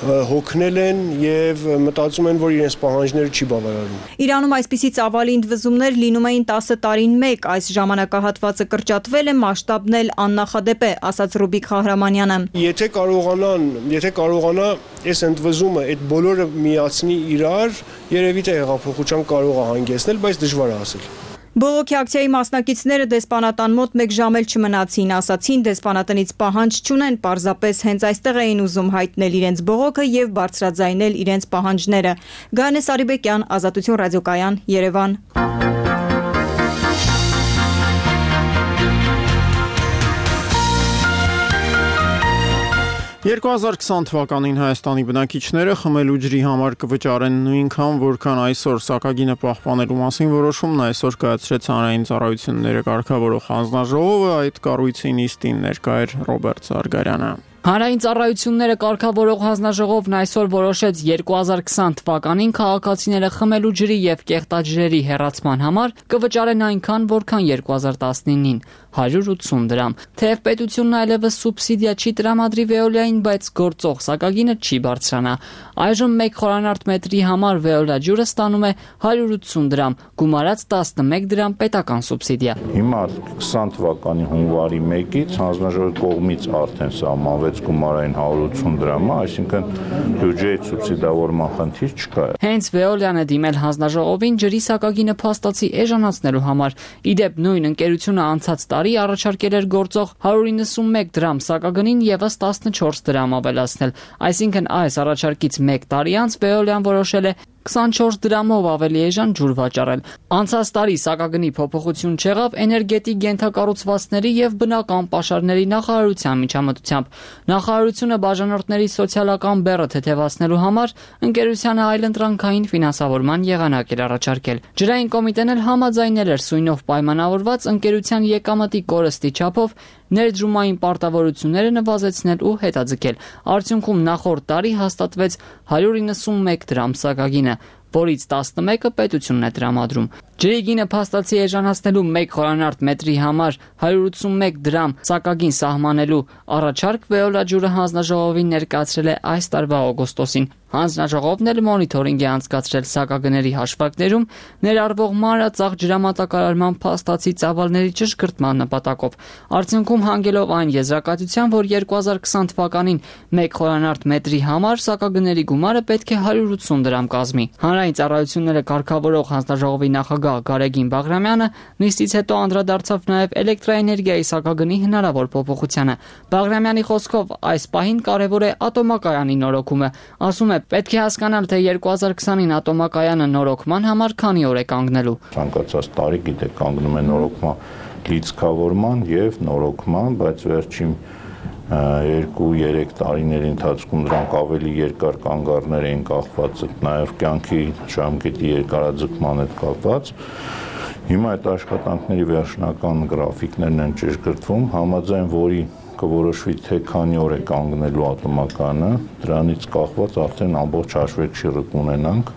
հոգնել են եւ մտածում են, որ իրենց պահանջները չի բավարարում։ Իրանում այսպիսի ծավալի ընդվզումներ լինում էին տասը տարին մեկ, այս ժամանակահատվածը կրճատվել է, մասշտաբն էլ աննախադեպ է, ասաց Ռուբիկ Խահրամանյանը։ Եթե կարողանան, եթե կարողանա այս ընդվզումը այդ բոլորը միացնի իրար, երևի թե հեղափոխության կարող է հանգեցնել, բայց դժվար է ասել։ Բողոքի ակցիայի մասնակիցները դեսպանատան մոտ մեկ ժամ էլ չմնացին, ասացին դեսպանատնից պահանջ չունեն, պարզապես հենց այստեղ էին ուզում հայտնել իրենց բողոքը եւ բարձրաձայնել իրենց պահանջները։ Գայանե Սարիբեկյան, Ազատություն ռադիոկայան, Երևան։ երկու հազար քսան թվականին Հայաստանի բնակիչները խմելու ջրի համար կվճարեն նույնքան, որքան այսօր, սակագինը պահպանելու մասին որոշումն այսօր կայացրեց Հանրային ծառայությունները կարգավորող հանձնաժողովը, այդ կառույցի նիստին ներկա էր Ռոբերտ Զարգարյանը։ Հանրային ծառայությունները կարգավորող հանձնաժողովն այսօր որոշեց երկու հազար քսան թվականին քաղաքացիները խմելու ջրի եւ կեղտաջրերի հեռացման համար կվճարեն այնքան, որքան երկու հազար տասնինին՝ հարյուր ութսուն դրամ։ Թեև պետությունն այլևս սուբսիդիա չի տրամադրի Veolia-ին, բայց գործող սակագինը չի բարձրանա։ Այժմ մեկ խորանարդ մետրի համար Veolia ջուրը ստանում է հարյուր ութսուն դրամ, գումարած տասնմեկ դրամ պետական սուբսիդիա։ Հիմա քսան թվականի հունվարի մեկից հանձնաժողովի կողմից արդեն սահմանվեց գումարային հարյուր ութսուն դրամը, այսինքն բյուջեի սուբսիդավորման խնդիր չկա։ Հենց Veolia-ն է դիմել հանձնաժողովին ջրի սակագինը փաստացի էժանացնելու համար։ Իդեպ նույն ընկերությունը անցած տարի առաջարկել էր գործող հարյուր իննսունմեկ դրամ սակագնին եւս տասնչորս դրամ ավելացնել, այսինքն այս առաջարկից մեկ տարի անց Veolia-ն որոշել է քսանչորս դրամով ավելի էժան ջուր վաճառել։ Անցած տարի սակագնի փոփոխություն չեղավ էներգետիկ ենթակառուցվածքների եւ բնական պաշարների նախարարության միջամտությամբ։ Նախարարությունը բաժանորդների սոցիալական բեռը թեթևացնելու համար ընկերությանը այլընտրանքային ֆինանսավորման եղանակ էր առաջարկել։ Ջրային կոմիտեն էլ համաձայնել էր սույնով պայմանավորված ընկերության եկամտի կորստի չափով ներդրումային պարտավորությունները նվազեցնել ու հետաձգել։ Արդյունքում նախորդ տարի հաստատվեց հարյուր իննսունմեկ դրամ սակագինը, որից տասնմեկը պետությունն է տրամադրում։ Ջրի գինը փաստացի էժանացնելու մեկ խորանարդ մետրի համար հարյուր ութսունմեկ դրամ սակագին սահմանելու առաջարկ Veolia ջուրը հանձնաժողովին ներկայացրել է այս տարվա օգոստոսին։ Հանձնաժողովն էլ մոնիթորինգ է անցկացրել սակագների հաշվարկներում ներառվող մանրածախ ջրամատակարարման փաստացի ծավալների ճշգրտման նպատակով։ Արդյունքում հանգելով այն եզրակացության, որ երկու հազար քսան թվականին մեկ խորանարդ մետրի համար սակագների գումարը պետք է հարյուր ութսուն դրամ կազմի։ Հանրային ծառայությունները կարգավորող հանձնաժողովի նախագահ Գարեգին Բաղրամյանը նիստից հետո անդրադարձավ նաև էլեկտրաէներգիայի սակագնի հնարավոր փոփոխությանը։ Բաղրամյանի խոսքով այս պահին կարևոր է ատոմակայանի նորոգումը։ Ասում է, պետք է հասկանալ, թե երկու հազար քսանին ատոմակայանը նորոգման համար քանի օր է կանգնելու։ Ցանկացած տարի գիտեք կանգնում է նորոգման, լիցքավորման եւ նորոգման, բայց վերջին երկու-երեք տարիների ընթացքում դրանք ավելի երկար կանգառներ էին կախված, նաև կյանքի ժամկետի երկարաձգման հետ կապված։ Հիմա այդ աշխատանքների վերջնական գրաֆիկներն են ճշգրտվում, համաձայն որի կորոշվի թե քանի օր է կանգնելու ատոմակայանը, դրանից կախված արդեն ամբողջ հաշվեկշիռը կունենանք,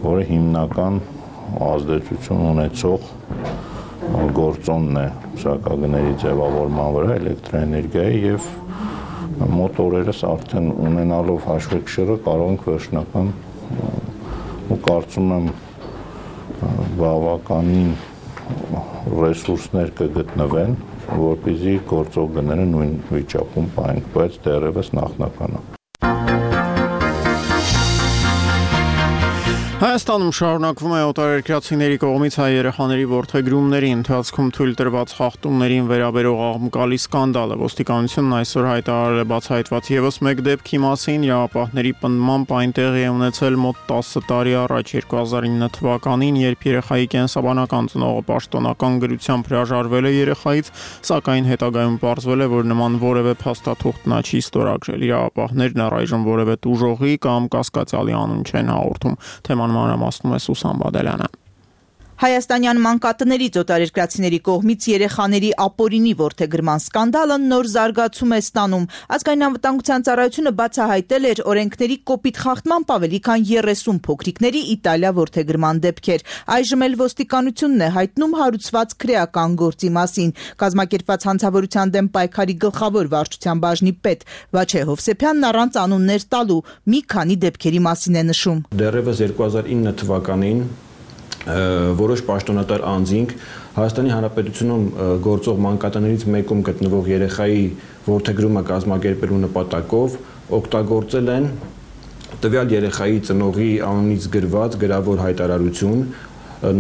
որը հիմնական ազդեցություն ունեցող գործոնն է սակագների ձևավորման վրա էլեկտրաէներգիայի եւ մոտ օրերս արդեն ունենալով հաշվեկշիռը կարող ենք վերջնական ու կարծում եմ բավականին ռեսուրսներ կգտնվեն, որպեսզի գործող գները նույն վիճակում պահենք, բայց դեռևս նախնական է։ Հայաստանում շարունակվում է օտարերկրացիների կողմից հայ երեխաների որդեգրումների ընթացքում թույլ տրված խախտումներին վերաբերող աղմկալի սկանդալը։ Ոստիկանությունն այսօր հայտարարել է բացահայտված ևս մեկ դեպքի մասին, իրավապահների պնդմամբ այն տեղի է ունեցել մոտ տասը տարի առաջ, երկու հազար ինը թվականին, երբ երեխայի կենսաբանական ծնողը պաշտոնական գրությամբ հրաժարվել է երեխայից, սակայն հետագայում պարզվել է, որ նման որևէ փաստաթուղթ նա չի ստորագրել։ Իրավապահներն առայժմ որևէ տուժողի կամ կասկածյալի անուն չեն հաղորդում։ Թեման մանրամասնում է Սուսան Բադելյանը։ Հայաստանյան մանկատներից օտարերկրացիների կողմից երեխաների ապօրինի որդեգրման սկանդալը նոր զարգացում է ստանում։ Ազգային անվտանգության ծառայությունը բացահայտել էր օրենքների կոպիտ խախտմամբ ավելի քան երեսուն փոքրիկների Իտալիա որդեգրման դեպքեր։ Այժմ էլ ոստիկանությունն է հայտնում հարուցված քրեական գործի մասին։ Կազմակերպված հանցավորության դեմ պայքարի գլխավոր վարչության բաժնի պետ Վաչե Հովսեփյանն առանց անուններ տալու մի քանի դեպքերի մասին է նշում։ Դեռևս երկու հազար ինը թվականին որոշ պաշտոնատար անձինք Հայաստանի Հանրապետությունում գործող մանկատներից մեկում գտնվող երեխայի որդեգրումը կազմակերպելու նպատակով օգտագործել են տվյալ երեխայի ծնողի անունից գրված գրավոր հայտարարություն,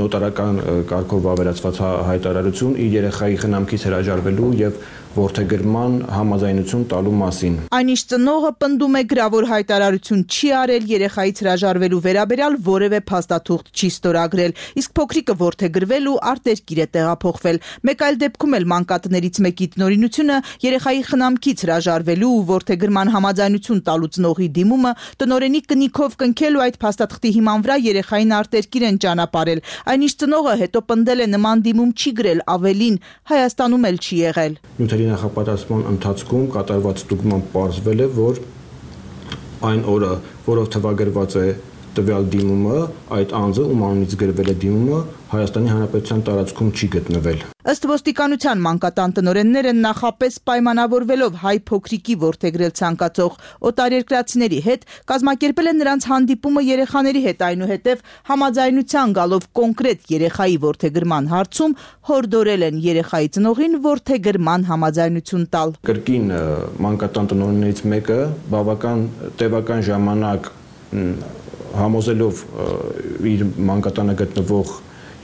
նոտարական կարգով վավերացված հայտարարություն իր երեխայի խնամքից հրաժարվելու եւ որդեգրման համաձայնություն տալու մասին։ Այնիշ ծնողը պնդում է գրավոր հայտարարություն չի արել, երեխայից հրաժարվելու վերաբերյալ որևէ փաստաթուղթ չի ստորագրել, իսկ փոքրիկը որդեգրվելու արտերկիր է տեղափոխվել։ Մեկ այլ դեպքում էլ մանկատներից մեկի տնօրինությունը երեխայի խնամքից հրաժարվելու ու որդեգրման համաձայնություն տալու ծնողի դիմումը տնօրենի կնիքով կնքել ու այդ փաստաթղթի հիման վրա երեխային արտերկիր են ճանապարհել։ Այնիշ ծնողը հետո պնդել է նման դիմում չի գրել, ավելին Հայաստանում էլ չի եղել։ Նախապատրաստման ընթացքում կատարված ստուգմամբ պարզվել է, որ այն օրը, որով թվագրված է տվյալ դիմումը, այդ անձը, ում անունից գրվել է դիմումը, Հայաստանի Հանրապետության տարածքում չի գտնվել։ Ըստ ոստիկանության մանկատան տնօրենները նախապես պայմանավորվելով հայ փոքրիկի որդեգրել ցանկացող օտարերկրացիների հետ կազմակերպել են նրանց հանդիպումը երեխաների հետ, այնուհետև համաձայնության գալով կոնկրետ երեխայի որդեգրման հարցում հորդորել են երեխայի ծնողին որդեգրման համաձայնություն տալ։ Կրկին մանկատան տնօրեններից մեկը բավական տևական ժամանակ համոզելով իր մանկատանը գտնվող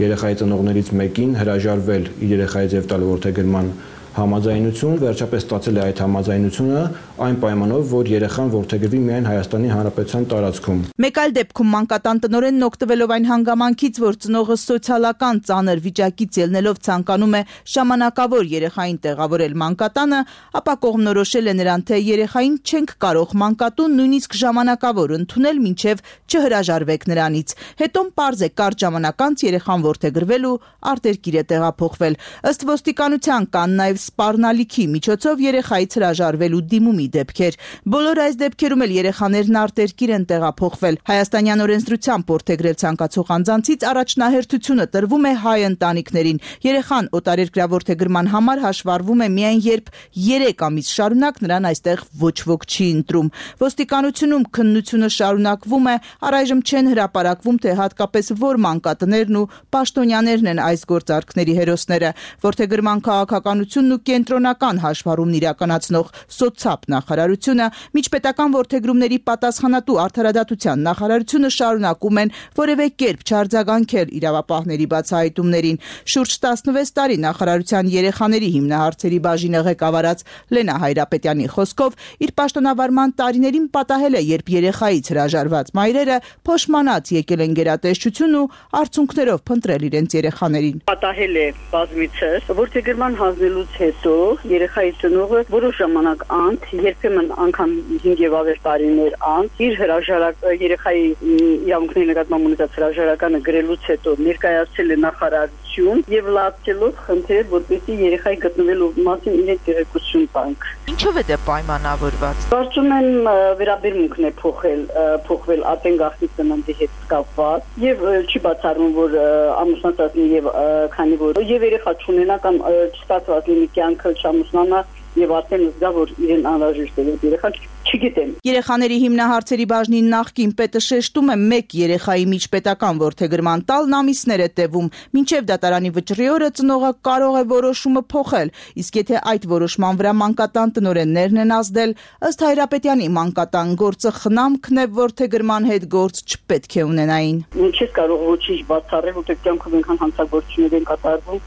երեխայի ծնողներից մեկին հրաժարվել իր երեխայից եւ տալ որդեգրման համաձայնություն, վերջապես ստացել է այդ համաձայնությունը այն պայմանով, որ երեխան որդեգրվի միայն Հայաստանի Հանրապետության տարածքում։ Մեկ այլ դեպքում մանկատան տնօրենն օգտվելով այն հանգամանքից, որ ծնողը սոցիալական ծանր վիճակից ելնելով ցանկանում է ժամանակավոր երեխային տեղավորել մանկատանը, ապա կողմնորոշել է նրան, թե երեխային չենք կարող մանկատուն նույնիսկ ժամանակավոր ընդունել, մինչև չհրաժարվեք նրանից։ Հետո պարզ է կարճ ժամանակ անց երեխան որդեգրվել ու արտերկիր է տեղափոխվել։ Ըստ ոստիկանության կան նաև սպառնալիքի միջոցով երեխայից հրաժարվելու դիմումի դեպքեր։ Բոլոր այս դեպքերում էլ երեխաներն արտերկիր են տեղափոխվել։ Հայաստանյան օրենսդրությամբ որդեգրել ցանկացող անձանցից առաջնահերթությունը տրվում է հայ ընտանիքներին։ Երեխան օտարերկրյա որդեգրման համար հաշվառվում է միայն երբ երեք ամիս շարունակ նրան այստեղ ոչ ոք չի ընտրում։ Ոստիկանությունում քննությունը շարունակվում է, առայժմ չեն հրապարակվում, թե հատկապես որ մանկատներն ու պաշտոնյաներն են այս գործարքների հերոսները։ Որդեգրման քաղաքականությունն ու կենտրոնական հաշվառումն իրականացնող սոցապ նախարարությունը, միջպետական որդեգրումների պատասխանատու արդարադատության նախարարությունը շարունակում են որևէ կերպ չարձագանքել իրավապահների բացահայտումներին։ Շուրջ տասնվեց տարի նախարարության երեխաների հիմնահարցերի բաժինը ղեկավարած Լենա Հայրապետյանի խոսքով իր պաշտոնավարման տարիներին պատահել է, երբ երեխայից հրաժարված մայրերը փոշմանած եկել են գերատեսչություն ու արդյունքներով փնտրել իրենց երեխաներին։ Պատահել է բազմիցս որդեգրման հանձնելուց հետո երեխայի ծնողը որոշ ժամանակ անց, երբեմն անգամ հինգ եւ ավելի տարիներ անց իր հրաժարակ երեխայի իրավունքների նկատմամբ ունեցած հրաժարականը գրելուց հետո ներկայացել է նախարարություն եւ լացելով խնդրել, որպեսզի երեխայի գտնվելու մասին իրենք տեղեկություն տանք։ Ինչով է դա պայմանավորված։ Կարծում եմ վերաբերմունքն է փոխել, փոխվել ատեն գաղտնի ծննդի հետ կապված եւ չի բացառվում, որ ամուսնացածն եւ քանի որ եւ երեխա չունենա կամ չստացված լինի կյանքը չամուսնանա եւ արդեն զգա, որ իրեն անհրաժեշտ է երեխան չգիտեմ։ Երեխաների հիմնահարցերի բաժնի նախկին պետը շեշտում է մեկ երեխայի միջպետական որդեգրման տալն ամիսներ է տևում, մինչև դատարանի վճռի օրը ծնողը կարող է որոշումը փոխել, իսկ եթե այդ որոշման վրա մանկատան տնօրեններն են ազդել, ըստ Հայրապետյանի մանկատան գործը խնամքն է, որդեգրման հետ գործ չպետք է ունենային։ Չես կարող ոչինչ բացառել, որտեղ կյանքում այնքան հանցագործություններ են կատարվում,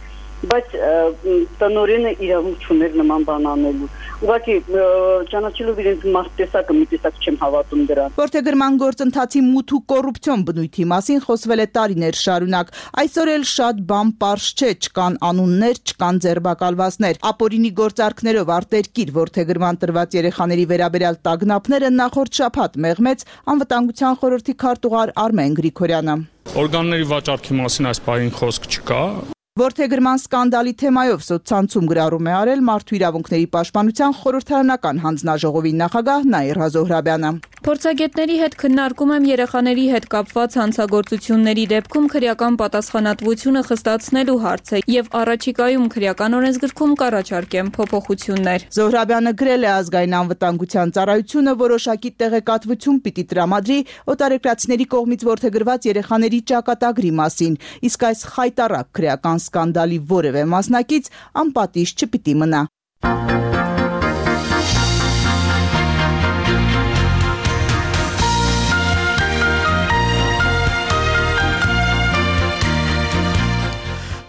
բայց տնօրենը իրավունք չուներ նման բան անելու։ Ուղղակի ճանաչելով իրենց մարդտեսակը, մի տեսակ չեմ հավատում դրան։ Որդեգրման գործընթացի մութ ու կոռուպցիոն բնույթի մասին խոսվել է տարիներ շարունակ։ Այսօր էլ շատ բան պարզ չէ, չկան անուններ, չկան ձերբակալվածներ։ Ապօրինի գործարքներով արտերկիր որդեգրման տրված երեխաների վերաբերյալ տագնապները նախորդ շաբաթ մեղմեց Անվտանգության խորհրդի քարտուղար Արմեն Գրիգորյանը։ օրգանների վաճառքի մասին այս բանին խոսք չկա։ Որդեգրման սկանդալի թեմայով սոցցանցում գրառում է արել Մարդու իրավունքների պաշտպանության խորհրդարանական հանձնաժողովի նախագահ Նաիրա Զոհրաբյանը։ Փորձագետների հետ քննարկում եմ երեխաների հետ կապված հանցագործությունների դեպքում քրեական պատասխանատվությունը խստացնելու հարցը եւ առաջիկայում քրեական օրենսգրքում կառաջարկեմ փոփոխություններ։ Զոհրաբյանը գրել է ազգային անվտանգության ծառայությունը որոշակի տեղեկատվություն պիտի տրամադրի օտարերկրացիների կողմից որդեգրված երեխաների ճակատագրի մասին, իսկ այս խայտառակ քրեական սկանդալի որևէ մասնակից անպատիժ չպիտի մնա։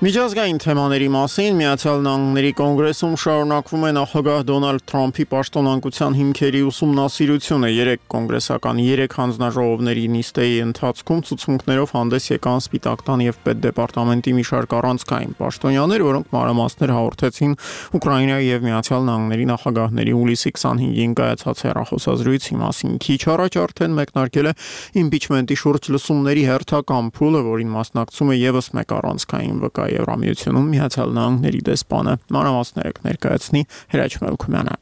Միջազգային թեմաների մասին Միացյալ Նահանգների կոնգրեսում շարունակվում է նախագահ Դոնալդ Թրամփի պաշտոնանկության հիմքերի ուսումնասիրությունը։ Երեք կոնգրեսական երեք հանձնաժողովների նիստերի ընթացքում ցուցմունքներով հանդես եկան Սպիտակ տան եւ Պետդեպարտամենտի մի շարք առանցքային պաշտոնյաներ, որոնք մանրամասներ հաղորդեցին Ուկրաինայի եւ Միացյալ Նահանգների նախագահների հուլիսի քսանհինգին կայացած հեռախոսազրույցի մասին։ Քիչ առաջ արդեն մեկնարկել է իմպիչմենտի շուրջ լսումների հերթական փուլը, որին մասնակցում է եւս մեկ առանցքային վկա Եվրամիությունում Միացյալ Նահանգների դեսպանը։ Մանրամասները կներկայացնի Հրաչ Մելքումյանը։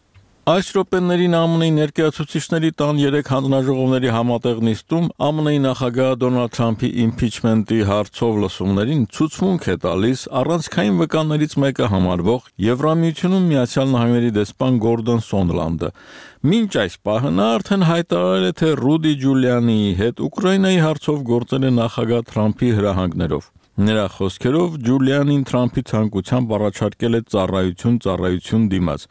Այս րոպեներին ԱՄՆ-ի ներկայացուցիչների տան երեք հանձնաժողովների համատեղ նիստում ԱՄՆ-ի նախագահ Դոնալդ Թրամփի իմպիչմենտի հարցով լսումներին ցուցմունք է տալիս առանցքային վկաներից մեկը համարվող Եվրամիությունում Միացյալ Նահանգների դեսպան Գորդոն Սոնդլանդը։ Մինչ այս պահը նա արդեն հայտարարել է, թե Ռուդի Ջուլիանիի հետ Ուկրաինայի հարցով գործել է նախագահ Թրամփի հրահանգներով։ Նրա խոսքերով Ջուլիանին Թրամփի ցանկությամբ առաջարկել է ծառայություն ծառայություն դիմաց։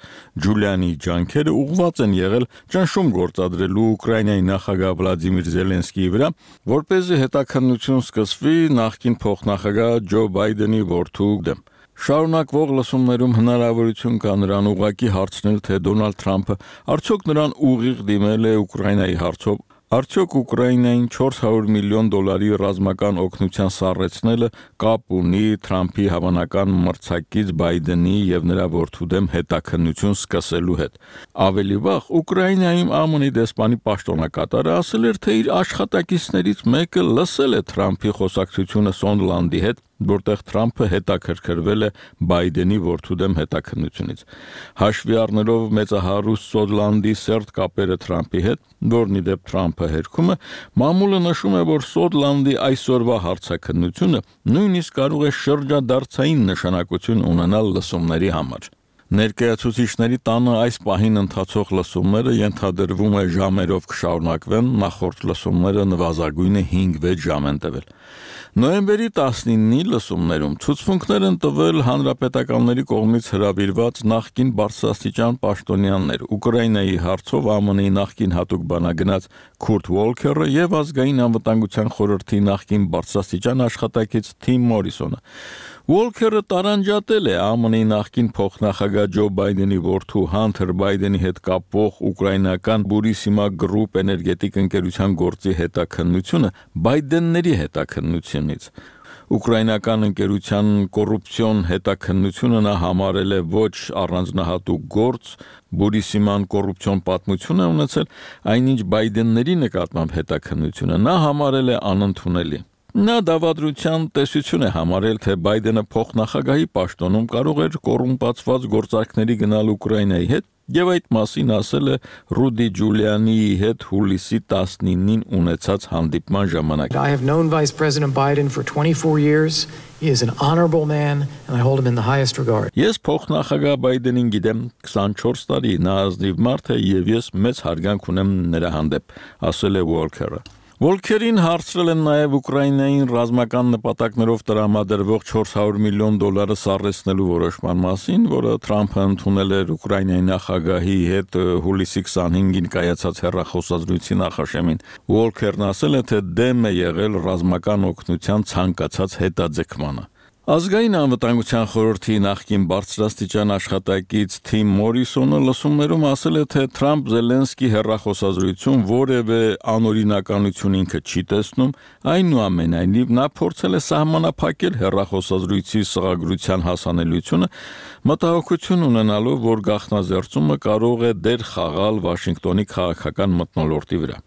Ջուլիանի ջանքերը ուղղված են եղել ճնշում գործադրելու Ուկրաինայի նախագահ Վլադիմիր Զելենսկիի վրա, որպեսզի հետաքննություն սկսվի նախկին փոխնախագահ Ջո Բայդենի որդու դեմ։ Շարունակվող լսումներում հնարավորություն կա նրան ուղղակի հարցնել, թե Դոնալդ Թրամփը արդյոք նրան ուղիղ դիմել է Ուկրաինայի հարցով։ Արդյոք Ուկրաինային չորս հարյուր միլիոն դոլարի ռազմական օգնության սառեցնելը կապ ունի Թրամփի հավանական մրցակից Բայդենի եւ նրա որդու դեմ հետաքննություն սկսելու հետ։ Ավելի վաղ Ուկրաինայում ԱՄՆ-ի դեսպանի պաշտոնակատարը ասել էր, թե իր աշխատակիցներից մեկը լսել է Թրամփի խոսակցությունը Սոնդլանդի հետ, որտեղ Թրամփը հետաքրքրվել է Բայդենի որդու դեմ հետաքննությունից։ Հաշվի առնելով մեծահարուստ Սոնդլանդի սերտ կապերը Թրամփի հետ, որն ի դեպ Թրամփը հերքում է, մամուլը նշում է, որ Սոնդլանդի այսօրվա հարցաքննությունը նույնիսկ կարող է շրջադարձային նշանակություն ունենալ լսումների համար։ Ներկայացուցիչների տանը այս պահին ընթացող լսումները ենթադրվում է ժամերով կշարունակվեն, նախորդ լսումները նվազագույնը հինգ-վեց ժամ են տևել։ Նոյեմբերի տասնինի լսումներում ցուցմունքներ են տվել հանրապետականների կողմից հրավիրված նախկին բարձրաստիճան պաշտոնյաներ, Ուկրաինայի հարցով ԱՄՆ-ի նախկին հատուկ բանագնաց Քուրտ Ուոլքերը եւ ազգային անվտանգության խորհրդի նախկին բարձրաստիճան աշխատակից Թիմ Մորիսոնը։ Ուոլքերը տարանջատել է ԱՄՆ-ի նախկին փոխնախագահ Ջո Բայդենի որդու Հանթեր Բայդենի հետ կապվող ուկրաինական Բուրիսիմա գրուպ էներգետիկ ընկերության գործի հետաքննությունը Բայդենների հետաքննությունից։ Ուկրաինական ընկերության կոռուպցիոն հետաքննությունը նա համարել է ոչ առանձնահատուկ գործ, Բուրիսիման կոռուպցիոն պատմություն է ունեցել, այնինչ Բայդենների նկատմամբ հետաքննությունը նա համարել է անընդունելի։ Նա դավադրության տեսություն է համարել, թե Բայդենը փոխնախագահի պաշտոնում կարող էր կոռումպացված գործարքների գնալ Ուկրաինայի հետ եւ այդ մասին ասել է Ռուդի Ջուլիանիի հետ հուլիսի տասնինին ունեցած հանդիպման ժամանակ։ I have known Vice President Biden for twenty-four years. He is an honorable man and I hold him in the highest regard. Ես փոխնախագահ Բայդենին գիտեմ քսանչորս տարի, նա ազնիվ մարդ է եւ ես մեծ հարգանք ունեմ նրա հանդեպ, ասել է Ուոլքերը։ Ուոլքերին հարցրել են նաև Ուկրաինային ռազմական նպատակներով տրամադրվող չորս հարյուր միլիոն դոլարը սառեցնելու որոշման մասին, որը Թրամփը ընդունել էր Ուկրաինայի նախագահի հետ հուլիսի քսանհինգին կայացած հեռախոսազրույցի նախաշեմին։ Ուոլքերն ասել է, թե դեմ է եղել ռազմական օգնության ցանկացած հետաձգմանը։ Ազգային անվտանգության խորհրդի նախկին բարձրաստիճան աշխատակից Թիմ Մորիսոնը լսումներում ասել է, թե Թրամփ-Զելենսկի հեռախոսազրույցում որևէ անօրինականություն ինքը չի տեսնում, այնուամենայնիվ նա փորձել է սահմանափակել հեռախոսազրույցի սղագրության հասանելիությունը, մտահոգություն ունենալով, որ գաղտնազերծումը կարող է դեր խաղալ Վաշինգտոնի քաղաքական մթնոլորտի վրա։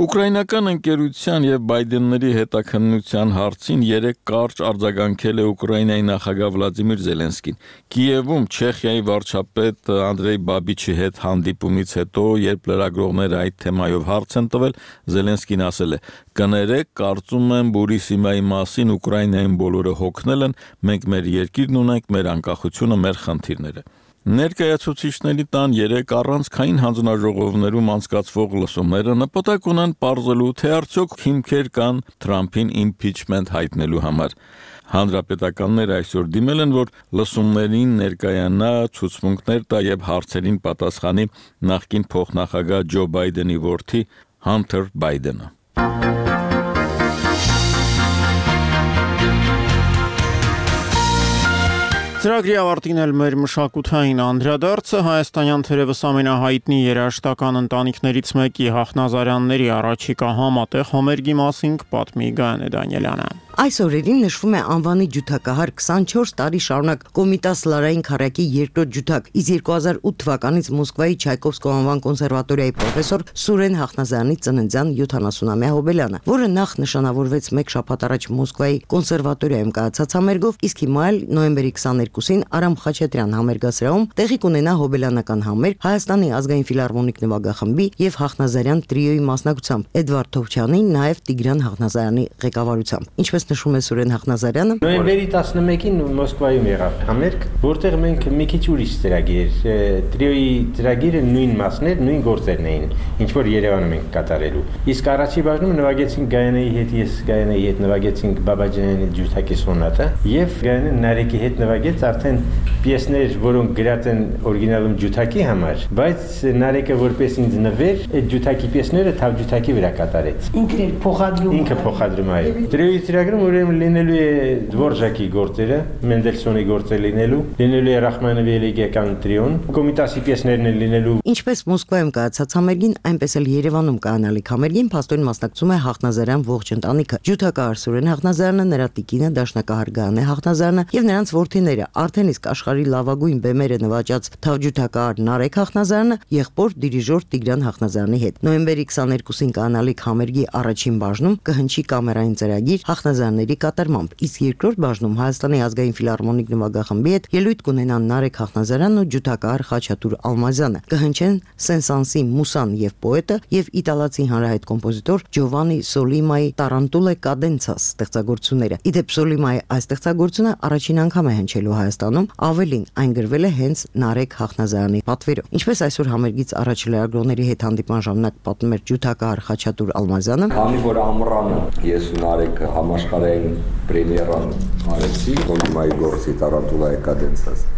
Ուկրաինական ընկերության եւ Բայդենների հետաքննության հարցին երեք կարճ արձագանքել է Ուկրաինայի նախագահ Վլադիմիր Զելենսկին։ Կիևում Չեխիայի վարչապետ Անդրեյ Բաբիչի հետ հանդիպումից հետո, երբ լրագրողները այդ թեմայով հարց են տվել, Զելենսկին ասել է. «Կներեք, կարծում եմ Բուրիսիմայի մասին Ուկրաինային բոլորը հոգնել են, մենք մեր երկիրն ունենք, մեր անկախությունը, մեր խնդիրները»։ Ներկայացուցիչների տան երեք առանցքային հանձնաժողովներում անցկացվող լսումները նպատակ ունեն պարզելու, թե արդյոք հիմքեր կան Թրամփին իմփիչմենտ հայտնելու համար։ Հանրապետականները այսօր դիմել են, որ լսումներին ներկայանա, ցուցմունքներ տա եւ հարցերին պատասխանի նախկին փոխնախագահ Ջո Բայդենի որդի Հանթեր Բայդենը։ Ծրագրի ավարտին էլ մեր մշակութային անդրադարձը հայաստանյան թերևս ամենահայտնի երաժշտական ընտանիքներից մեկի Հախնազարյանների առաջիկա համատեղ համերգի մասին կպատմի Գայանե Դանիելյանը։ Այս օրերին նշվում է անվանի ջութակահար քսանչորս տարի շարունակ Կոմիտաս Լարային քարակի երկրորդ ջութակ, իսկ երկու հազար ութ թվականից Մոսկվայի Չայկովսկու անվան կոնսերվատորիայի պրոֆեսոր Սուրեն Հախնազարյանի ծննդյան յոթանասունամյա հոբելյանը, որը նախ նշանավորվեց մեկ շաբաթ առաջ Մոսկվայի կոնսերվատորիայում կայացած համերգով, իսկ հիմա էլ նոյեմբերի քսաներկուսին Արամ Խաչատրյան համերգասրահում տեղի կունենա հոբելյանական համերգ Հայաստանի ազգային ֆիլհարմոնիկ նվագախմբի եւ Հախնազարյան տրիոյի մասնակցությամբ, Էդվարդ Թովչյանի, նաեւ Տիգրան Հախնազարյանի ղեկավարությամբ։ Ինչպես նշում է Սուրեն Հախնազարյանը, նոյեմբերի տասնմեկին Մոսկվայում եղավ համերգ, որտեղ մենք մի քիչ ուրիշ ծրագիր, տրիոյի ծրագիրը նույն մասներ, նույն գործերն էին, ինչ որ Երևանում ենք կատարելու։ Իսկ առաջի բաժնում նվագեցինք Գայանեի հետ, ես Գայանեի հետ նվագեցինք Բաբաջանյանի ջութակի սոնատը, եւ Գայանեն Նարեկի հետ նվագեց արդեն պիեսներ, որոնք գրած են օրիգինալում ջութակի համար, բայց Նարեկը որպես ինձ նվեր, այդ ջութակի պիեսները թավ ջութակի վրա կատարեց։ Ինքն էլ փոխադրում։ Ինքը փոխադրում է։ Տրիոյի ծրագրում ուրեմն լինելու է Դվորժակի գործերը, Մենդելսոնի գործերը լինելու, լինելու է Ռախմանովի էլեգիական տրիոն, Կոմիտասի պիեսներն են լինելու։ Ինչպես Մոսկվայում կայացած համերգին, այնպես էլ Երևանում կայանալիք համերգին փաստորեն մասնակցում է Հախնազարյան ողջ ընտանիքը։ Ջութակահար Սուրեն Հախնազարյանը, նրա տիկինը, դաշնակահար Գայանե Հախնազարյանը եւ նրանց որդիները, արդեն իսկ աշխարհի լավագույն բեմերը նվաճած թավջութակահար Նարեկ Հախնազարյանը, եղբոր դիրիժոր Տիգրան Հախնազարյանի հետ։ Նոյեմբերի քսաներկուսին կայանալիք համերգի առաջին բաժնում կհնչի կամերային ծրագիր Հախնազարյանների կատարմամբ, իսկ երկրորդ բաժնում Հայաստանի ազգային ֆիլհարմոնիկ նվագախմբի հետ ելույթ կունենան Նարեկ Հախնազարյանն ու ջութակահար Խաչատուր Ալմազյանը, կհնչեն Սենսանսի Մուսան եւ պոետը եւ իտալացի հանրահայտ կոմպոզիտոր Ջովանի Սոլիմայի Տարանտուլե Կադենցաս ստեղծագործությունները։ Իդեպ Սոլիմայի այս ստեղծագործությունը առաջին անգամ է հնչելու Հայաստանում, ավելին այն գրվել է հենց Նարեկ Հախնազարյանի պատվերով։ Ինչպես այսօր համերգից առաջ լրագրողների հետ հանդիպման ժամանակ պատմում էր ջութակահար Խաչատուր Ալմազյանը, քանի որ ամռանը ես ու Նարեկ համաշխարհային պրեմիերան արեցի Սոլիմայի գործի Տարանտուլայի Կադենցաս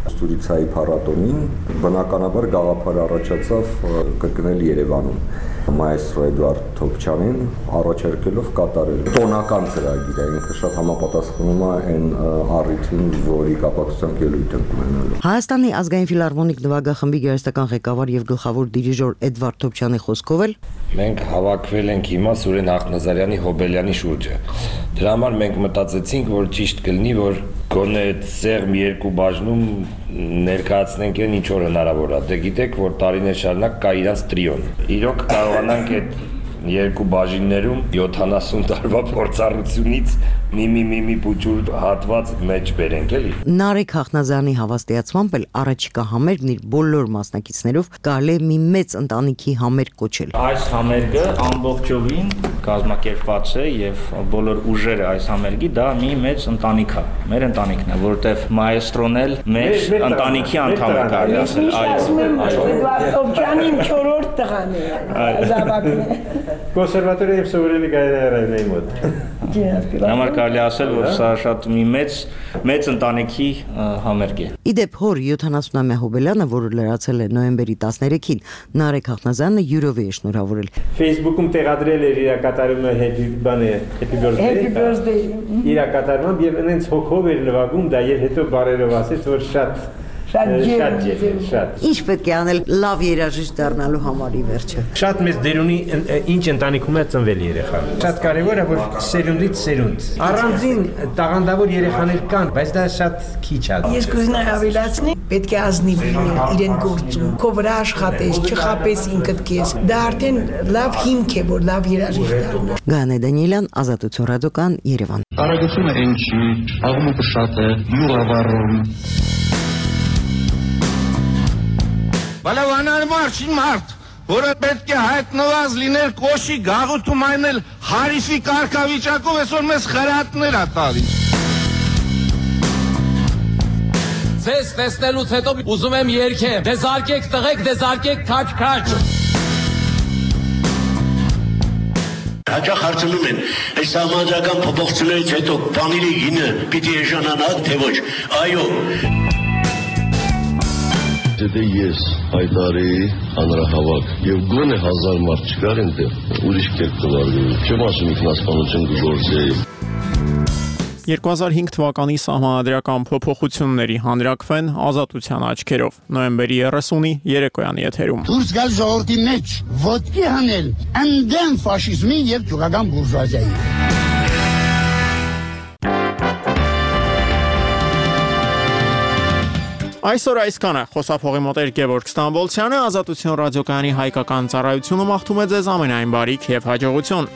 ստուդիցիայի փառատոնին, բնականաբար գաղափար առաջացավ կրկնել Երևանում մայստրո Էդվարդ Թոփչյանին առաջարկելով կատարել տոնական ծրագիր է, ինքը շատ համապատասխանում է այն առիթին, որի կապակցությամբ ելույթ ենք ունենալու։ Հայաստանի ազգային ֆիլհարմոնիկ նվագախմբի գերեստական ղեկավար եւ գլխավոր դիրիժոր Էդվարդ Թոփչյանի խոսքով էլ մենք հավաքվել ենք հիմա Սուրեն Հախնազարյանի հոբելյանի շուրջը։ Դրա համար մենք մտածեցինք, որ ճիշտ կլինի, որ գոնե սեղմ երկու բաժնում ներկայացնենք այն ինչ որ հնարավոր է։ Դե գիտեք, որ տարիներ շարունակ կա իրանց տրիոն։ Իրոք կարողանանք այդ երկու բաժիններում յոթանասուն տարվա փորձառությունից մի-մի մի-մի փուճուր հատված մեջ բերենք էլի։ Նարեկ Հախնազարյանի հավաստիացմամբ էլ առաջիկա համերգն իր բոլոր մասնակիցներով կարելի է մի մեծ ընտանիքի համերգ կոչել։ Այս համերգը ամբողջովին կազմակերպված է եւ բոլոր ուժերը այս համերգի դա մի մեծ ընտանիք է։ Մեր ընտանիքն է, որովհետեւ մայստրոն էլ մեր ընտանիքի անդամ է կարելի ասել։ Այո։ Թոփչյանին չորրորդ տղան է։ Զավակն է։ Կոնսերվատորիա եւ սովորելի գայրայրայի մոտ։ Համար կարելի ասել, որ սա շատ մի մեծ մեծ ընտանիքի համերգ է։ Իդեպ հոր յոթանասունամյա հոբելյանը, որը լրացել է նոյեմբերի տասներեքին, Նարեկ Հախնազարյանը յուրով է շնորհավորել։ Facebook-ում տեղադրել էր իր կատարումը happy բանը happy birthday։ Happy birthday։ Իր կատարումը եւ այնց հոգով էր նվագում դա եւ հետո բարերով ասեց, որ շատ Շատ Շատ ջերմ, շատ։ Ինչ պետք է անել լավ երաժիշտ դառնալու համար ի վերջը։ Շատ մեծ դեր ունի ինչ ընտանիքում է ծնվել երեխան։ Շատ կարևոր է, որ սերունդից սերունդ։ Առանձին տաղանդավոր երեխաներ կան, բայց դա շատ քիչ է։ Ես կուզենայի ավելացնել, պետք է ազնիվ լինել իրեն գործում, քո վրա աշխատես, չխապես ինքդ քեզ։ Դա արդեն լավ հիմք է, որ լավ երաժիշտ դառնաս։ Գանե Դանիելյան, Ազատություն ռադիոկան, Երևան։ Արագությունը ինչի, աղմուկը շատ է, յուղավառում։ Բալավանար մարդ, մարդ, որը պետք է հայտնված լինել կոշի գաղութում այնել հարիսի կարգավիճակով այսօր մեզ խրատներ ա տալիս։ Ձեզ տեսնելուց հետո ուզում եմ երգեմ, դեզարկեք տղեկ, դեզարկեք քաչ-քաչ։ Հաճախ հարցնում են, այս համաձայնական փոփոխություններից հետո բանիրի գինը պիտի էժանանա, թե ոչ։ Այո։ Եթե ես հայտարի հանրահավաք եւ գոնե հազար մարդ չկար այնտեղ, ուրիշ կերպ կվարվի։ Չեմ ասում ինքնասպանություն կգործեի։ երկու հազար հինգ թվականի սահմանադրական փոփոխությունների հանրակրվեն Ազատության աչքերով նոյեմբերի երեսունի երեկոյանի եթերում։ Դուրս գալ ժողովրդի մեջ, ոտքի հանել ընդդեմ ֆաշիզմի եւ ճուղական բուրժուազիայի։ Այսօր այսքանը խոսափողի մոտ էր Գևորգ Ստամբոլցյանը, Ազատություն ռադիոկայանի հայկական ծառայությունը մաղթում է ձեզ ամենայն բարիք եւ հաջողություն։